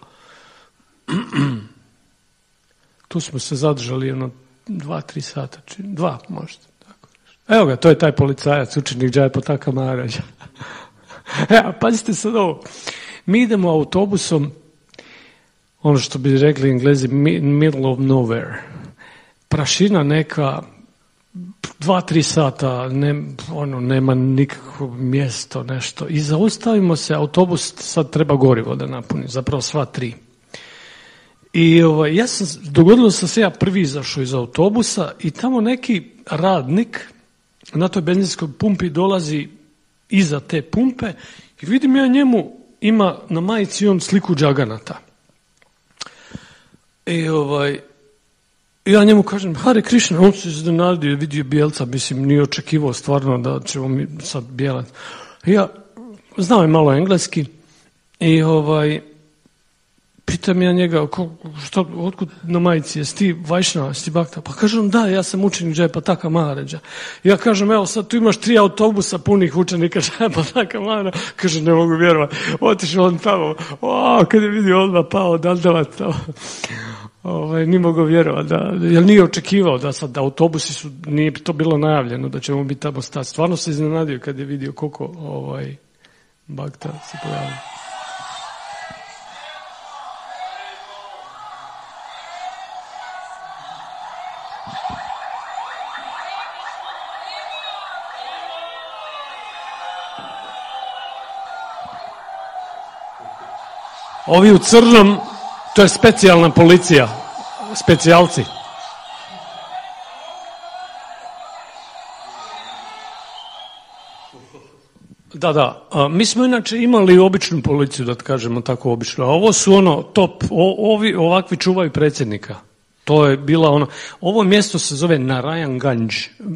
Tu smo se zadržali jedno dva, tri sata, dva možda. Tako. Evo ga, to je taj policajac, učenik Džajapataka Maharađa. Ja, pazite sad ovo. Mi idemo autobusom, ono što bi rekli Englezi, middle of nowhere. Prašina neka, dva, tri sata, ne, ono, nema nikakvo mjesto, nešto. I zaustavimo se, autobus sad treba gorivo da napuni, zapravo sva tri. I ovaj, ja sam, dogodilo sam se ja prvi izašao iz autobusa i tamo neki radnik na toj benzinskoj pumpi dolazi iza te pumpe i vidim ja njemu, ima na majici on sliku Džaganata. I ovaj, ja njemu kažem, Hare Krishna, on se iznenadio, vidio bijelca, mislim, nije očekivao stvarno da ćemo mi sad bijelat. Ja, znao je malo engleski i ovaj, pitam ja njega, ko, šta, otkud na majici, jesi ti Vajšnava, jesi ti Bakta? Pa kažem, da, ja sam učenik Džajapataka Maharađa. Ja kažem, evo sad tu imaš tri autobusa punih učenika Džajapataka Maharađa. Kaže, ne mogu vjerovati. Otišao on tamo, o, kad je vidio odmah pao dandavac tamo. Ovaj, nije mogao vjerovati, da, jer nije očekivao da sad da autobusi su, nije to bilo najavljeno da ćemo biti tamo stati. Stvarno se iznenadio kad je vidio koliko ovaj, Bakta se pojavio. Ovi u crnom, to je specijalna policija, specijalci. Da, da. A, mi smo inače imali običnu policiju, da kažemo tako obično. A ovo su ono top, o, ovi ovakvi čuvaju predsjednika. To je bila ono, ovo mjesto se zove Narayanganj,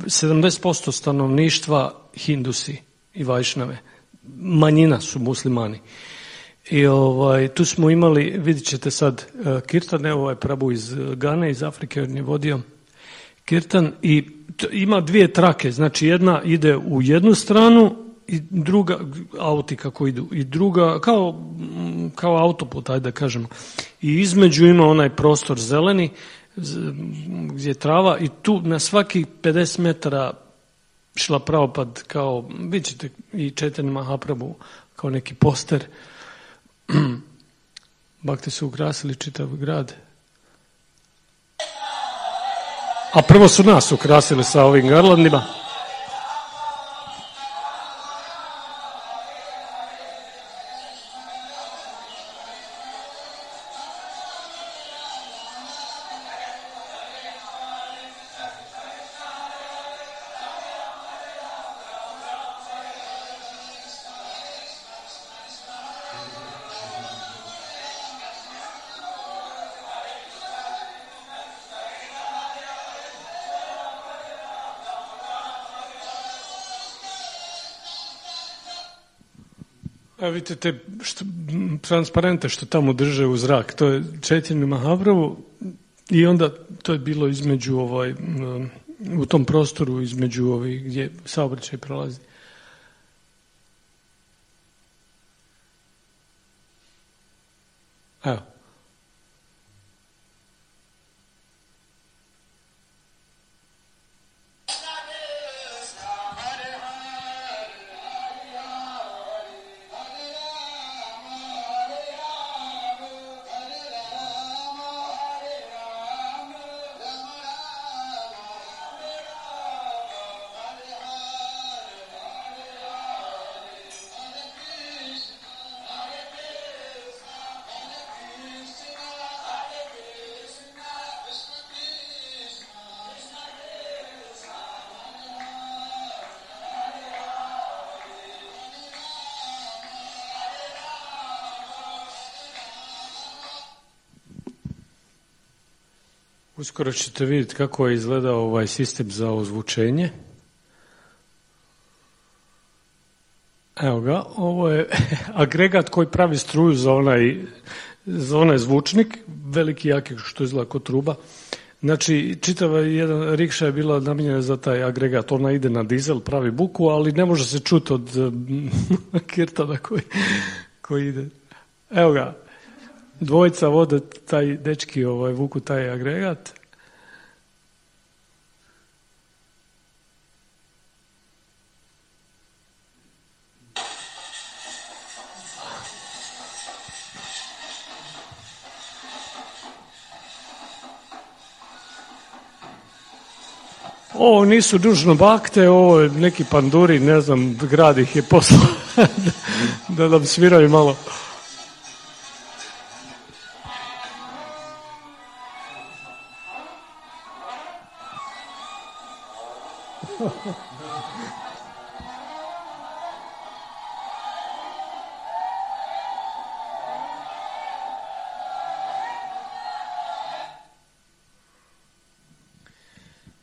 sedamdeset posto stanovništva Hindusi i Vajšnave. Manjina su muslimani. I ovaj, tu smo imali, vidjet ćete sad, Kirtan, evo ovaj Prabu iz Gane, iz Afrike, on je vodio Kirtan i t- ima dvije trake, znači jedna ide u jednu stranu i druga, auti kako idu, i druga, kao, kao autoput, ajde da kažemo. I između ima onaj prostor zeleni, gdje je trava i tu na svaki pedeset metara šla pravopad, kao, vidjet ćete i Chaitanya Mahaprabhu, kao neki poster. Bakti su ukrasili čitav grad. A prvo su nas ukrasili sa ovim garlandima. A vidite te što, transparente što tamo drže u zrak, to je Chaitanya Mahaprabhu i onda to je bilo između ovaj, u tom prostoru između ovih gdje saobraćaj prolazi. Evo. Uskoro ćete vidjeti kako je izgledao ovaj sistem za ozvučenje. Evo ga, ovo je agregat koji pravi struju za onaj, za onaj zvučnik, veliki jaki što izgleda kao truba. Znači, čitava jedan rikša je bila namijenjena za taj agregat. Ona ide na dizel, pravi buku, ali ne može se čuti od kirtana koji, koji ide. Evo ga. Dvojica vode taj dečki ovaj, vuku taj agregat. Ovo nisu dužno bakte, ovo je neki panduri, ne znam, grad ih je poslao da nam sviraju malo.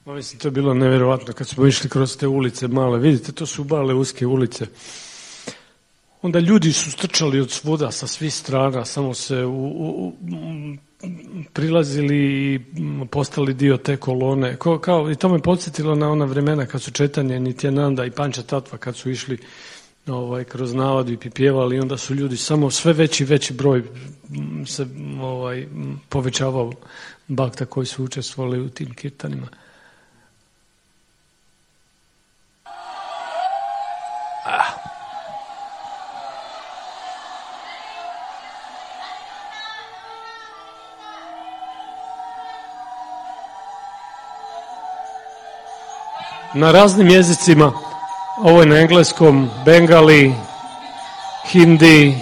Mislim, to je bilo nevjerovatno kad smo išli kroz te ulice male. Vidite, to su male uske ulice. Onda ljudi su strčali od svuda, sa svih strana, samo se u, u, prilazili i postali dio te kolone. Ko, kao, i to me podsjetilo na ona vremena kad su Chaitanya, Nityananda i Panča Tatva kad su išli ovaj, kroz navadu i pipjevali, i onda su ljudi samo sve veći veći broj se ovaj, povećavao bakta koji su učestvovali u tim kirtanima. na raznim jezicima. Ovo je na engleskom, bengali, hindi,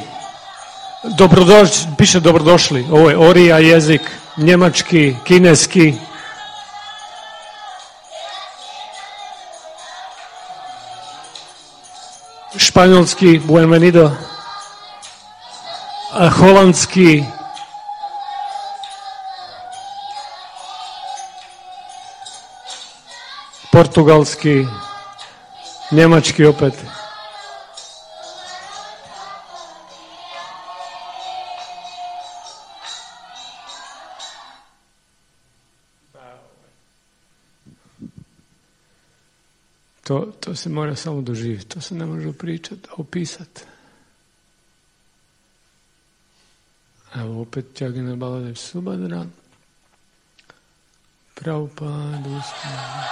dobrodošli, piše dobrodošli. Ovo je orija jezik, njemački, kineski. Španjolski, buenvenido. Holandski. Portugalski. Njemački opet. To, to se mora samo doživjeti, to se ne može pričati, opisati. Evo opet Jagina Baladev Subhadra. Prabhupada uspjeva.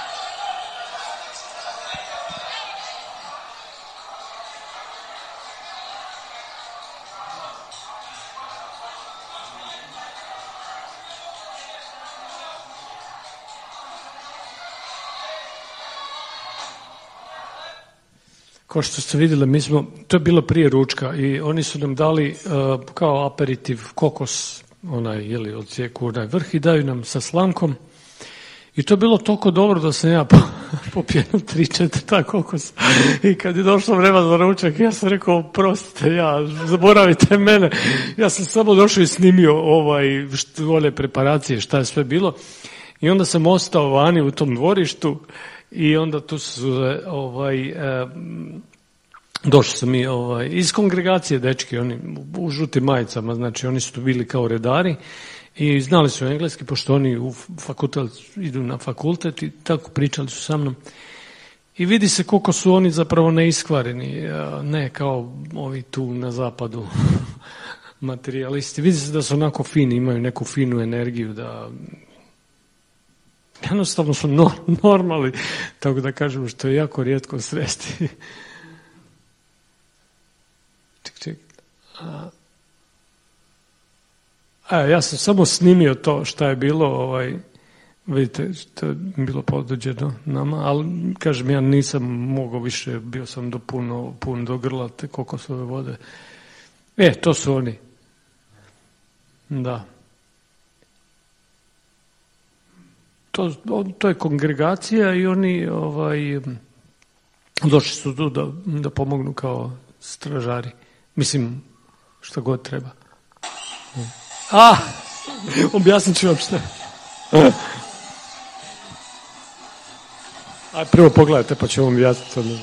Kao što ste vidjeli, mi smo, to je bilo prije ručka i oni su nam dali uh, kao aperitiv kokos, onaj, jeli, odcijeku onaj vrh i daju nam sa slankom. I to je bilo toliko dobro da sam ja popio tri, četiri ta kokos. I kad je došlo vreme za ručak, ja sam rekao, prostite, ja, zaboravite mene. Ja sam samo došao i snimio ovaj, one preparacije, šta je sve bilo. I onda sam ostao vani u tom dvorištu. I onda tu su ovaj, eh, došli su mi ovaj, iz kongregacije dečki, oni u žutim majicama, znači oni su tu bili kao redari i znali su engleski, pošto oni u fakultet, idu na fakultet i tako pričali su sa mnom. I vidi se koliko su oni zapravo neiskvareni, ne kao ovi tu na zapadu materijalisti. Vidi se da su onako fini, imaju neku finu energiju, da jednostavno su no, normalni, tako da kažemo, što je jako rijetko sresti. Ček, ček. A, a, ja sam samo snimio to šta je bilo, ovaj, vidite, to je bilo poduđeno nama, ali kažem, ja nisam mogao više, bio sam do puno, pun do grla te kokosove vode. E, to su oni. Da. To, to je kongregacija i oni ovaj, došli su tu da, da pomognu kao stražari. Mislim, šta god treba. A, objasnit ću vam šta. Aj, prvo pogledajte pa ću vam objasniti.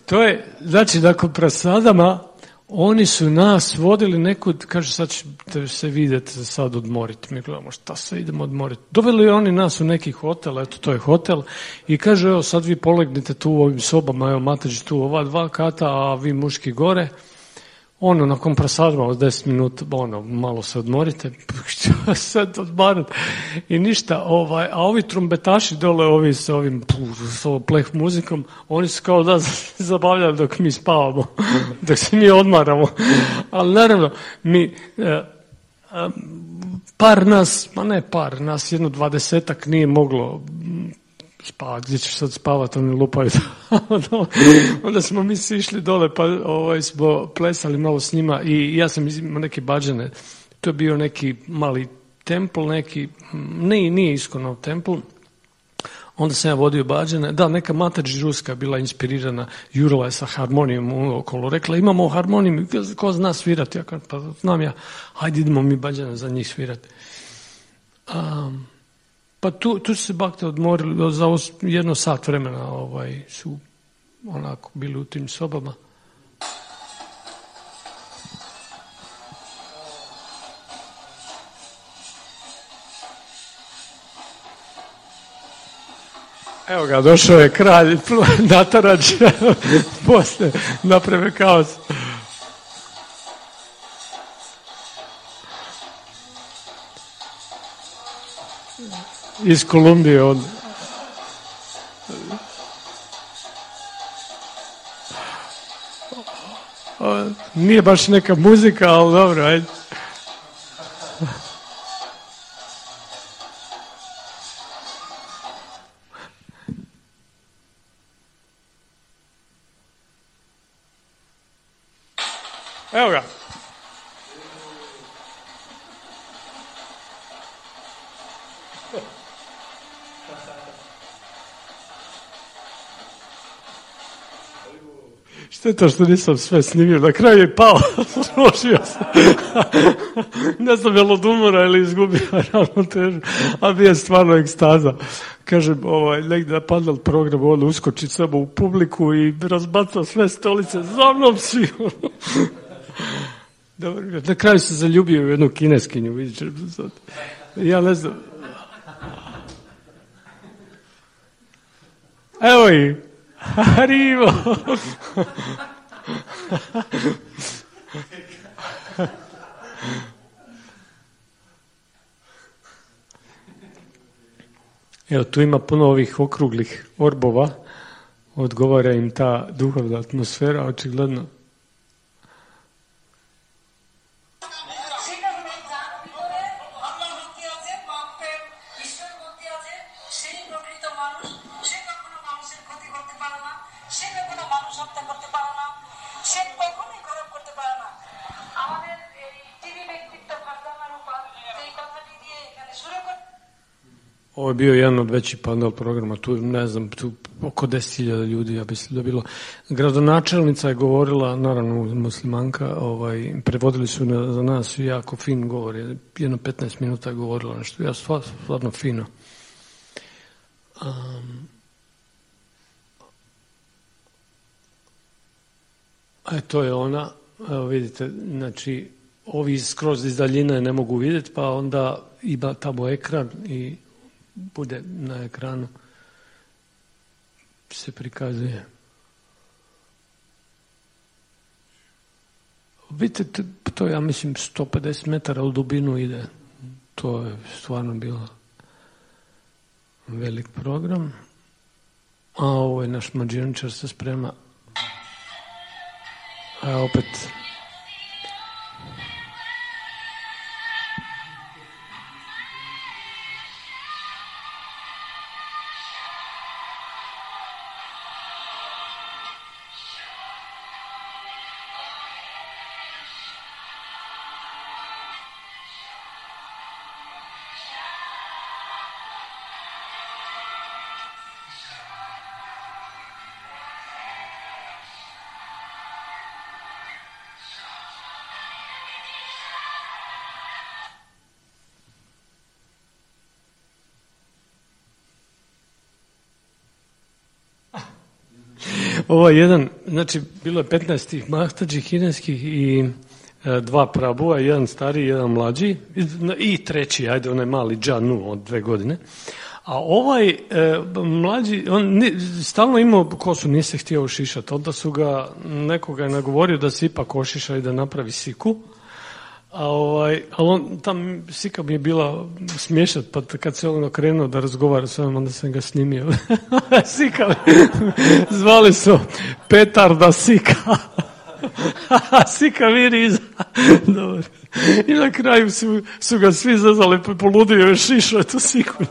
To je, znači, nakon prasadama, oni su nas vodili nekud, kaže, sad ćete se vidjeti, sad odmoriti. Mi gledamo, šta se idemo odmoriti. Doveli oni nas u neki hotel, eto, to je hotel, i kaže, evo, sad vi polegnite tu u ovim sobama, evo, Matađi tu ova dva kata, a vi muški gore. Ono, nakon prasadama od deset minuta, ono, malo se odmorite, što sad odmarati i ništa, ovaj, a ovi trumbetaši dole, ovi s ovim, s ovom pleh muzikom, oni su kao da zabavljali dok mi spavamo, dok se mi odmaramo, ali naravno, mi, par nas, ma ne par, nas jedno dvadesetak nije moglo spavati, gdje ćeš sad spavati, oni lupaju. Onda smo mi svi išli dole, pa ovaj, smo plesali malo s njima i ja sam imao neke bađane. To je bio neki mali templ, neki, ne, nije Iskonov templ. Onda sam ja vodio bađane. Da, neka Matađi ruska bila inspirirana, jurala je sa harmonijom okolo. Rekla, imamo harmoniju, ko zna svirati? Ja kažem, pa znam ja, hajde idemo mi bađane za njih svirati. Um, Pa tu, tu su se bakte odmorili, za jedno sat vremena ovaj, su onako bili u tim sobama. Evo ga, došao je kralj Natarađ, posle naprave kaos. Iz Kolumbije on. O, nije baš neka muzika, ali dobro, ajde. Evo ga. Šteta što nisam sve snimio, na kraju je pao, složio sam. Ne znam je li od umora ili izgubio ravnotežu, a bio je stvarno ekstaza. Kažem, ovaj, negdje na panel programu, on uskoči samo u publiku i razbaca sve stolice, za mnom svi. Dobro, na kraju se zaljubio u jednu kineskinju, vidite sad. Ja ne znam. Evo ih. Arrivo! Evo, tu ima puno ovih okruglih orbova, odgovara im ta duhovna atmosfera, očigledno. Ovo je bio jedan od većih panel programa, tu ne znam, tu oko deset hiljada ljudi, ja mislim da je bilo. Gradonačelnica je govorila, naravno muslimanka, ovaj, prevodili su na, za nas jako fin govor, jedno petnaest minuta je govorila nešto, ja stvarno, stvarno fino. Um, a to je ona, evo vidite, znači, ovi skroz iz daljine ne mogu vidjeti, pa onda ima tamo ekran i bude na ekranu se prikazuje. Vidite, to ja mislim sto pedeset metara u dubinu ide. To je stvarno bilo velik program. A ovo je naš mađioničar se sprema. A opet ovo je jedan, znači bilo je petnaest tih mahtađi kineskih i e, dva prabua, jedan stariji, jedan mlađi i treći, ajde onaj mali Džanu od dve godine. A ovaj e, mlađi, on ni, stalno imao kosu, nije se htio ošišati, onda su ga, nekoga je nagovorio da se ipak ošiša i da napravi siku. A ovaj, ali on, tam sika mi je bila smiješat, pa kad se on okrenuo da razgovara s ovim, onda sam ga snimio. Sika, zvali su Petarda Sika. Sika viri iza. Dobro. I na kraju su, su ga svi zazali, poludio je šišao tu siku.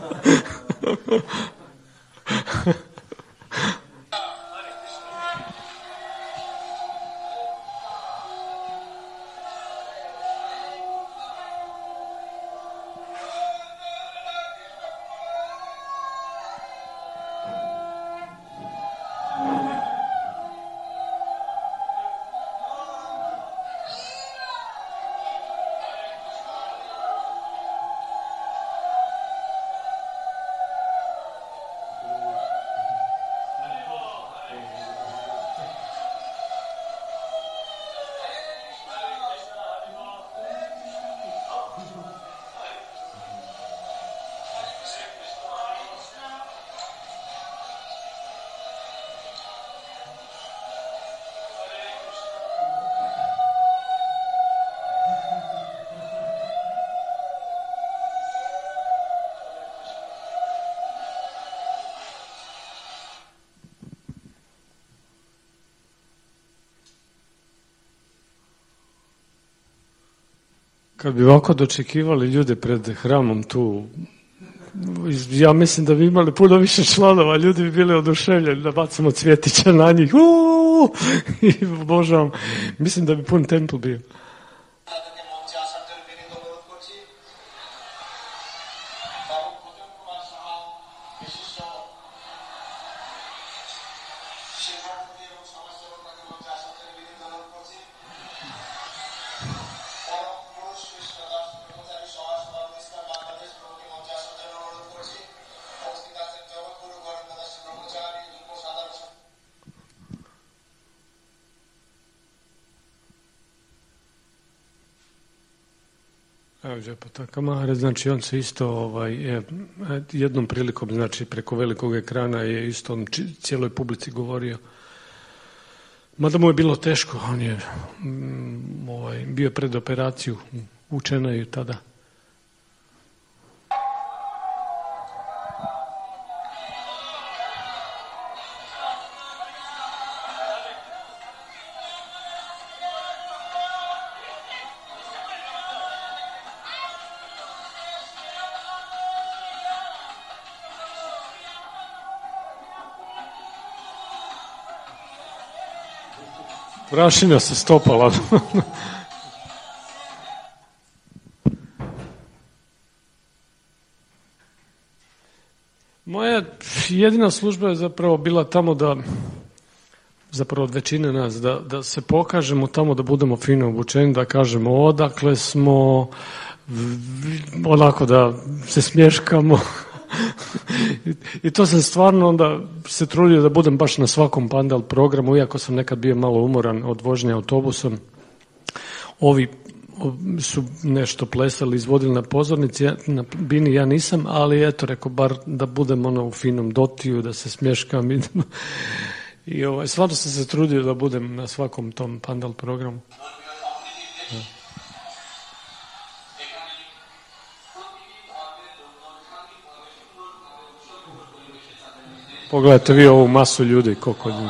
Kad bi ovako dočekivali ljude pred hramom tu, ja mislim da bi imali puno više članova, ljudi bi bili oduševljeni da bacimo cvjetića na njih. Uuu! I obožavam. Mislim da bi pun templ bio. Evo Džepata Maharač, znači on se isto ovaj, je, jednom prilikom, znači preko velikog ekrana je isto on cijeloj publici govorio. Mada mu je bilo teško, on je mm, ovaj, bio pred operaciju, učena je tada. Prašina se stopala. Moja jedina služba je zapravo bila tamo da, zapravo od većine nas, da, da se pokažemo tamo, da budemo fino obučeni, da kažemo odakle smo, onako da se smješkamo. I, I to sam stvarno onda se trudio da budem baš na svakom pandal programu, iako sam nekad bio malo umoran od vožnje autobusom. Ovi su nešto plesali, izvodili na pozornici, na bini ja nisam, ali eto, rekao, bar da budem ono u finom dotiju, da se smješkam. I, i ovaj, stvarno sam se trudio da budem na svakom tom pandal programu. Ja. Pogledajte vi ovu masu ljudi, koliko ljudi.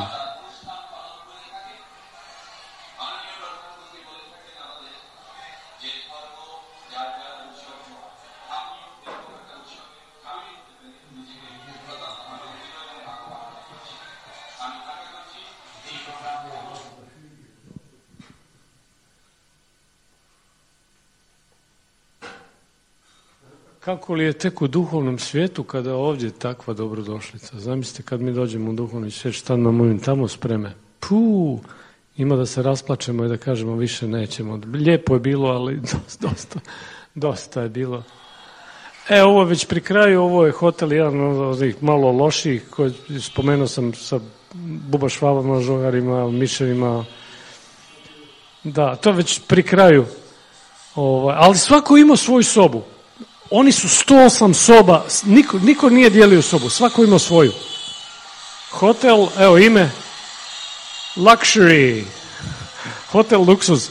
Kako li je tek u duhovnom svijetu kada ovdje takva dobrodošlica? Zamislite kad mi dođemo u duhovni svijet, šta nam ovim tamo spreme? Puh, ima da se rasplačemo i da kažemo više nećemo. Lijepo je bilo, ali dosta, dosta, dosta je bilo. E, ovo je već pri kraju, ovo je hotel jedan od ovih malo loših, koji spomenuo sam sa bubašvavama, žogarima, miševima. Da, to je već pri kraju. Ovaj, ali svako ima svoju sobu. Oni su sto osam soba, niko, niko nije dijelio sobu, svako ima svoju. Hotel, evo ime, luxury, hotel luksuz.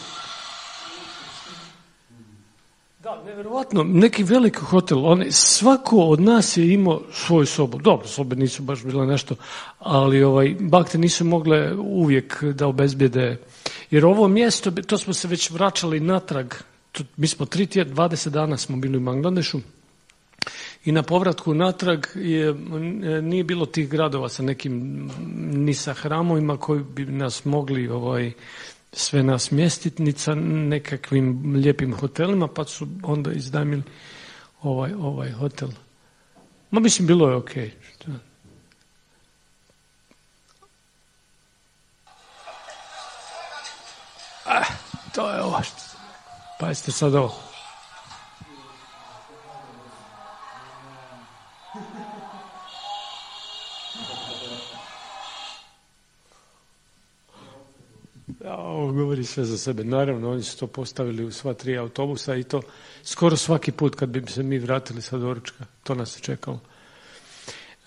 Da, nevjerovatno, neki veliki hotel, oni, svako od nas je imao svoju sobu. Dobro, sobe nisu baš bile nešto, ali ovaj, bakte nisu mogle uvijek da obezbijede, jer ovo mjesto, to smo se već vraćali natrag. Mi smo tri tjedna, dvadeset dana smo bili u Bangladešu i na povratku natrag je, nije bilo tih gradova sa nekim ni sa hramovima koji bi nas mogli ovaj, sve nas mjestiti, ni sa nekakvim lijepim hotelima, pa su onda iznajmili ovaj, ovaj hotel. Ma mislim, bilo je okej. Okay. Ah, to je ovo što... Pa jeste sad ovo. Ja, ovo govori sve za sebe. Naravno, oni su to postavili u sva tri autobusa i to skoro svaki put kad bi se mi vratili sa doručka. To nas je čekalo.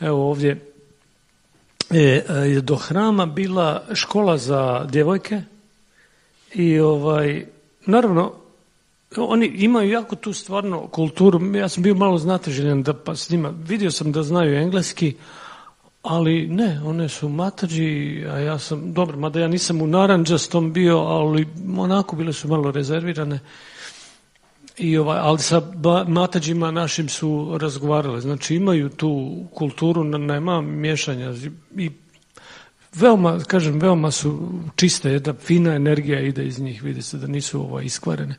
Evo ovdje je do hrama bila škola za djevojke i ovaj, naravno, oni imaju jako tu stvarno kulturu. Ja sam bio malo znatiželjan da pa s njima, vidio sam da znaju engleski, ali ne, one su Mataji, a ja sam, dobro, mada ja nisam u narandžastom bio, ali onako bile su malo rezervirane. I ovaj, ali sa matađima našim su razgovarali. Znači imaju tu kulturu, nema miješanja i veoma, kažem, veoma su čiste, jedna fina energija ide iz njih, vidi se da nisu ovaj, iskvarene.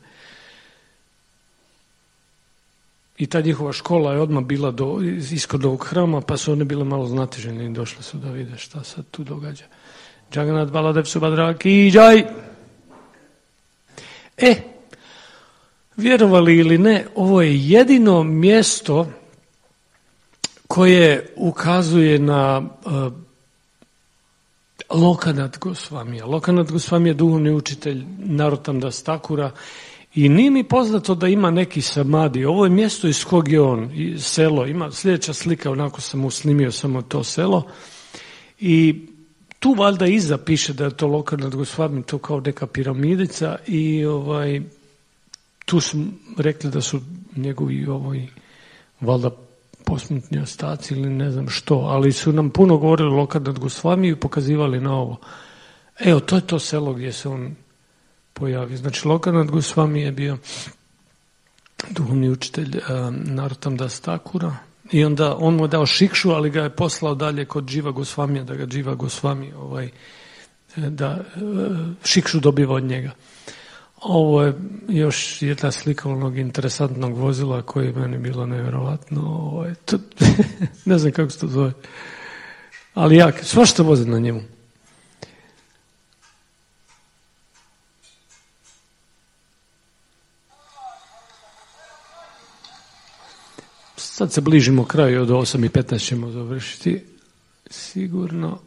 I ta njihova škola je odmah bila do, iskod ovog hrama, pa su one bile malo znatižene i došle su da vide šta se tu događa. Jagannath Baladev Subhadra ki jai. E, vjerovali ili ne, ovo je jedino mjesto koje ukazuje na uh, Lokanath Gosvamija. Lokanath Gosvami je duhovni učitelj Narottam Das Thakura i nije mi poznato da ima neki samadi. Ovo je mjesto iz kog je on, selo. Ima sljedeća slika, onako sam usnimio samo to selo. I tu valjda iza piše da je to Lokanath Gosvami, to kao neka piramidica i ovaj, tu su rekli da su njegovi ovaj, valjda posmrtni ostaci ili ne znam što, ali su nam puno govorili o Lokanath Gosvamiju i pokazivali na ovo. Evo, to je to selo gdje se on pojavio. Znači, Lokanath Gosvami je bio duhovni učitelj uh, Narottam Das Thakura i onda on mu je dao šikšu, ali ga je poslao dalje kod Jiva Gosvamija, da ga Jiva Gosvami ovaj, da uh, šikšu dobiva od njega. Ovo je još jedna slika onog interesantnog vozila koje je meni bilo nevjerovatno. Ovo je to, ne znam kako se to zove. Ali ja, svašta voze na njemu. Sad se bližimo kraju, od osam i petnaest ćemo završiti. Sigurno.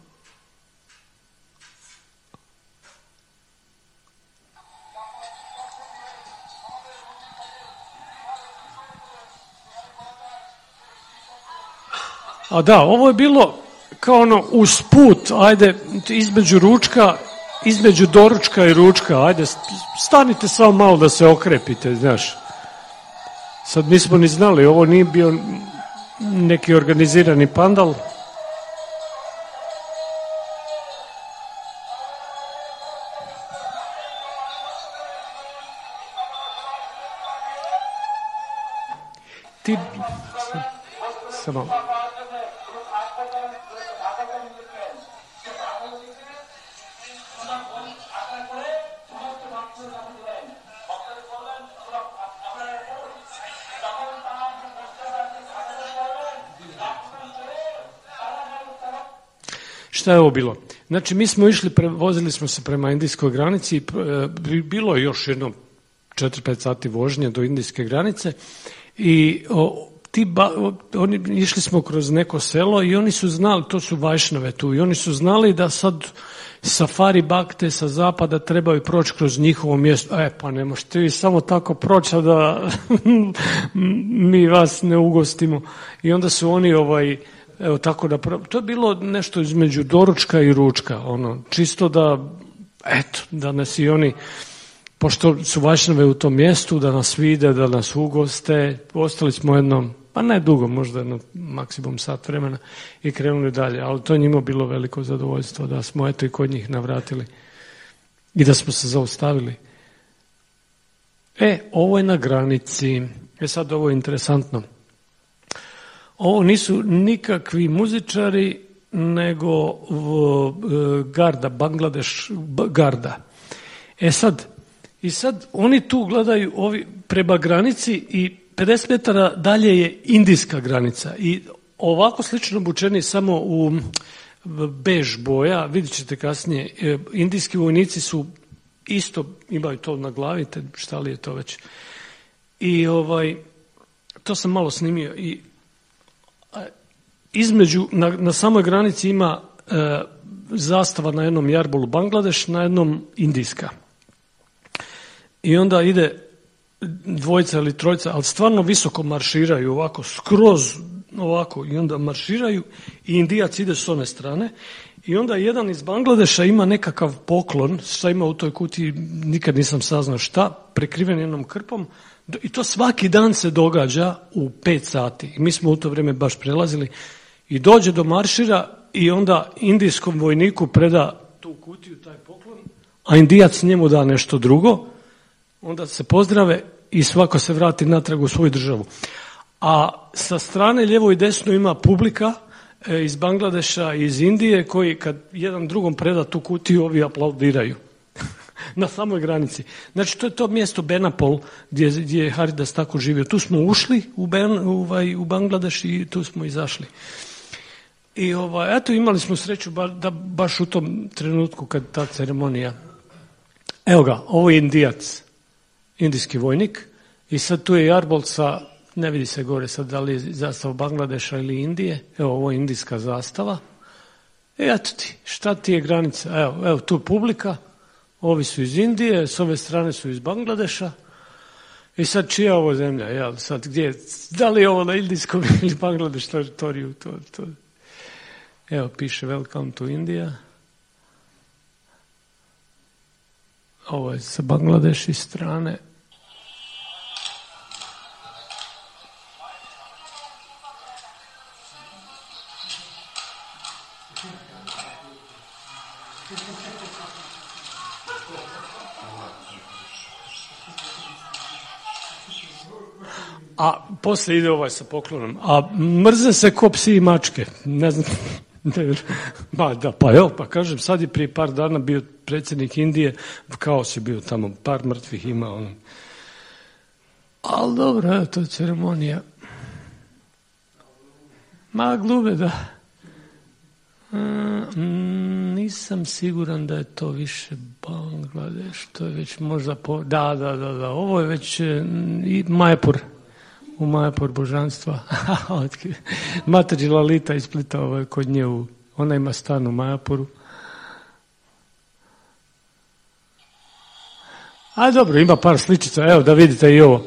A da, ovo je bilo kao ono usput, ajde, između ručka, između doručka i ručka, ajde, stanite samo malo da se okrepite, znaš. Sad nismo ni znali, ovo nije bio neki organizirani pandal. Ti... Samo... Šta je ovo bilo? Znači, mi smo išli, pre, vozili smo se prema indijskoj granici, bilo je još jedno četiri pet sati vožnje do indijske granice i o, ti ba, o, oni, išli smo kroz neko selo i oni su znali, to su Vajšnave tu, i oni su znali da sad safari bakte sa zapada trebaju proći kroz njihovo mjesto. E, pa ne možete vi samo tako proći, a da mi vas ne ugostimo. I onda su oni ovaj... Evo tako da, to je bilo nešto između doručka i ručka, ono, čisto da, eto, da nas i oni, pošto su Vajšnave u tom mjestu, da nas vide, da nas ugoste, ostali smo jednom, pa ne dugo, možda jedno maksimum sat vremena i krenuli dalje, ali to je njima bilo veliko zadovoljstvo da smo eto i kod njih navratili i da smo se zaustavili. E, ovo je na granici, e sad ovo je interesantno. Ovo nisu nikakvi muzičari, nego garda, Bangladeš garda. E sad, i sad oni tu gledaju ovi prema granici i pedeset metara dalje je indijska granica. I ovako slično obučeni samo u bež boja, vidjet ćete kasnije, indijski vojnici su isto, imaju to na glavi, šta li je to već. I ovaj, to sam malo snimio i između, na, na samoj granici ima e, zastava na jednom jarbolu Bangladeš, na jednom indijska. I onda ide dvojica ili trojica, ali stvarno visoko marširaju, ovako, skroz ovako, i onda marširaju i Indijac ide s one strane. I onda jedan iz Bangladeša ima nekakav poklon, šta ima u toj kutiji, nikad nisam saznao šta, prekriven jednom krpom. I to svaki dan se događa u pet sati. I mi smo u to vrijeme baš prelazili. I dođe do maršira i onda indijskom vojniku preda tu kutiju, taj poklon, a Indijac njemu da nešto drugo. Onda se pozdrave i svako se vrati natrag u svoju državu. A sa strane lijevo i desno ima publika iz Bangladeša i iz Indije koji kad jedan drugom preda tu kutiju, ovi aplaudiraju na samoj granici. Znači to je to mjesto Benapol gdje, gdje je Haridas tako živio. Tu smo ušli u, ben, ovaj, u Bangladeš i tu smo izašli. I ovaj, eto imali smo sreću ba, da baš u tom trenutku kad ta ceremonija. Evo ga, ovo je Indijac, indijski vojnik i sad tu je Jarbol sa, ne vidi se gore sad da li je zastava Bangladeša ili Indije, evo ovo je indijska zastava. E eto ti, šta ti je granica? Evo, evo tu publika, ovi su iz Indije, s ove strane su iz Bangladeša. I sad čija ovo zemlja, jel, sad gdje, da li je ovo na indijskom ili Bangladeš teritoriju, to, to. Evo piše Welcome to India. Ovo je sa Bangladeši strane. A poslije ide ovaj sa poklonom. A mrze se ko psi i mačke. Ne znam. Ba, da, pa evo, pa kažem, sad je prije par dana bio predsjednik Indije, kaos je bio tamo, par mrtvih ima. On. Ali dobro, evo, to je ceremonija. Ma, glube, da. Mm, nisam siguran da je to više Bangladeš, to je već možda... Po... Da, da, da, da, ovo je već i Majapur. U Majapur božanstva. Matađi Lalita iz Splita, ovaj, kod nje, u, ona ima stan u Majapuru. A dobro, ima par sličica, evo da vidite i ovo.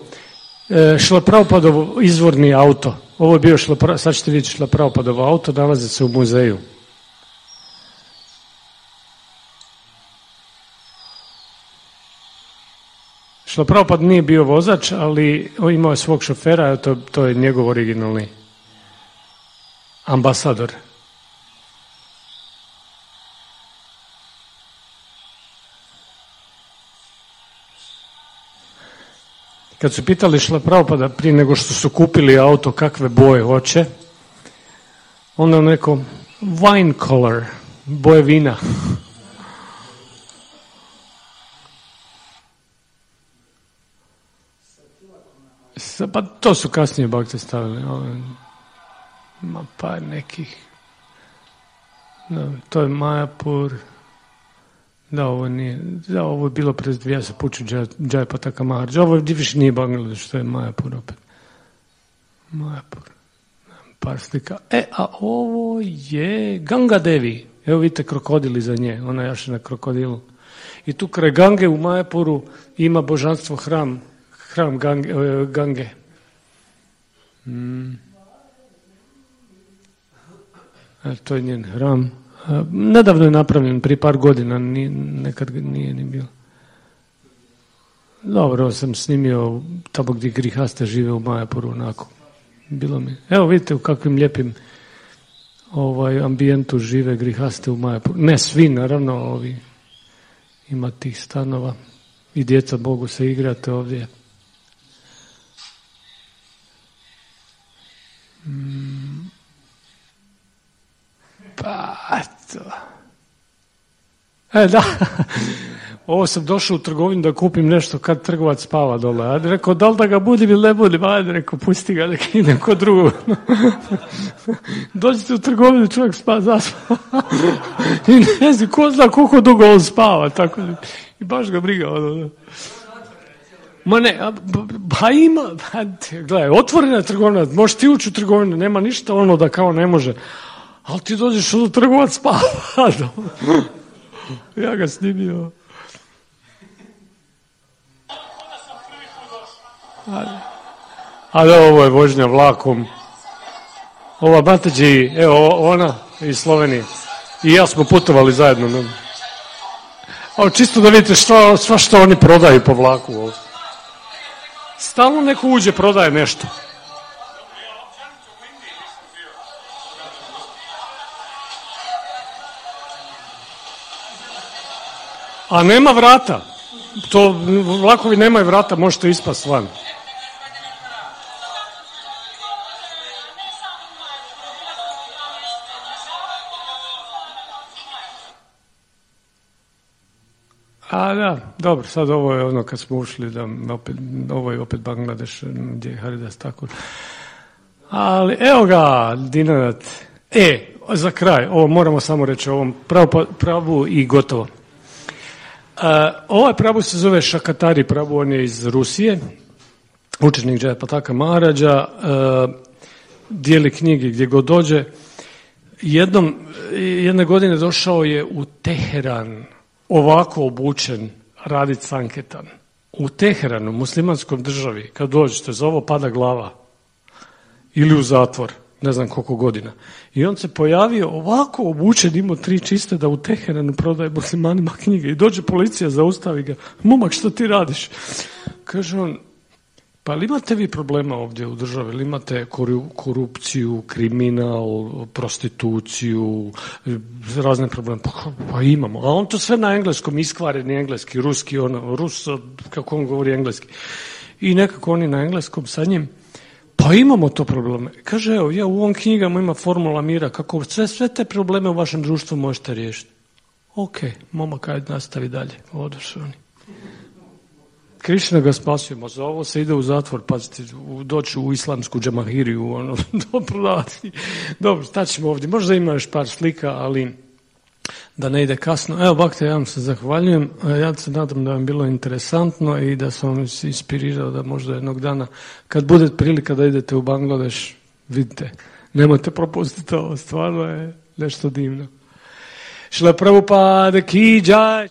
E, Šrila Prabhupadov izvorni auto. Ovo je bio Šrila, sad ćete vidjeti Šrila Prabhupadov auto, nalazi se u muzeju. Šrila Prabhupada nije bio vozač, ali imao je svog šofera, to, to je njegov originalni ambasador. Kad su pitali Šrila Prabhupada prije nego što su kupili auto kakve boje hoće, onda on rekao wine color, boje vina. Pa to su kasnije bakte stavili. Ima par nekih. Da, to je Majapur. Da, ovo nije. Da, ovo je bilo pred dvije se puču Džajpataka Maharđa. Ovo više nije Bangladeš, to je Majapur opet. Majapur. Par slika. E, a ovo je Ganga Devi. Evo vidite krokodili za nje. Ona jaše na krokodilu. I tu kraj Gange u Majapuru ima božanstvo hram. Hram Gange. Gange. Mm. E, to je njen hram. E, nedavno je napravljen, prije par godina, ni, nekad nije ni bilo. Dobro, sam snimio tamo gdje grihaste žive u Majapuru, onako. Bilo mi. Evo vidite u kakvim lijepim ovaj, ambijentu žive grihaste u Majapuru. Ne svi, naravno, ovi ima tih stanova i djeca mogu se igrati ovdje. Mm. Pa, to. E, da. Ovo sam došao u trgovinu da kupim nešto kad trgovac spava dole. Ajde, rekao, da li da ga budim ili ne budim? Ajde, rekao, pusti ga, nek ide kod drugog. Dođete u trgovinu, čovjek spava, zaspava. I ne znam, ko zna koliko dugo on spava. Tako. I baš ga briga. Ono. Ma ne, ba ima, ba, gledaj, otvorena trgovina, možeš ti ući u trgovinu, nema ništa ono da kao ne može. Ali ti dođeš u trgovac spava. Ja ga snimio. Ali ovo je vožnja vlakom. Ova Matađi, evo ona iz Slovenije. I ja smo putovali zajedno. Ne? Ali čisto da vidite što, sva što oni prodaju po vlaku. Ovo. Stalno neko uđe, prodaje nešto. A nema vrata. to vlakovi nemaju vrata, možete ispast van. A da, dobro, sad ovo je ono kad smo ušli, da opet, ovo je opet Bangladeš, gdje je Haridas Thakur. Ali evo ga, Dinanat. E, za kraj, ovo moramo samo reći o ovom pravu, pravu i gotovo. Uh, ovaj pravu se zove Šakatari pravu, on je iz Rusije, učenik Jayapataka Maharaja, uh, dijeli knjige gdje god dođe. Jednom, jedne godine došao je u Teheran, ovako obučen, radit sanketan. U Teheranu, muslimanskom državi, kad dođete, za ovo pada glava. Ili u zatvor, ne znam koliko godina. I on se pojavio ovako obučen, imao tri čiste da u Teheranu prodaje muslimanima knjige. I dođe policija, zaustavi ga. Momak, što ti radiš? Kaže on, pa ali imate vi problema ovdje u državi? Ili imate korupciju, kriminal, prostituciju, razne probleme? Pa, pa imamo. A on to sve na engleskom, iskvareni engleski, ruski, ono, Rus, kako on govori engleski. I nekako oni na engleskom sa njim. Pa imamo to probleme. Kaže, evo, ja u ovom knjigama ima formula mira, kako sve, sve te probleme u vašem društvu možete riješiti. Ok, momak, ajde nastavi dalje. Odošli oni. Krišna ga spasio, za ovo se ide u zatvor, pazite, doći u islamsku džamahiriju, ono, dobro, dobro, staćemo ovdje. Možda ima još par slika, ali da ne ide kasno. Evo, bakte, ja vam se zahvaljujem. Ja se nadam da vam bilo interesantno i da sam vam se inspirirao da možda jednog dana, kad bude prilika da idete u Bangladeš, vidite, nemojte propustiti ovo, stvarno je nešto divno. Šla Prabhupada ki jai.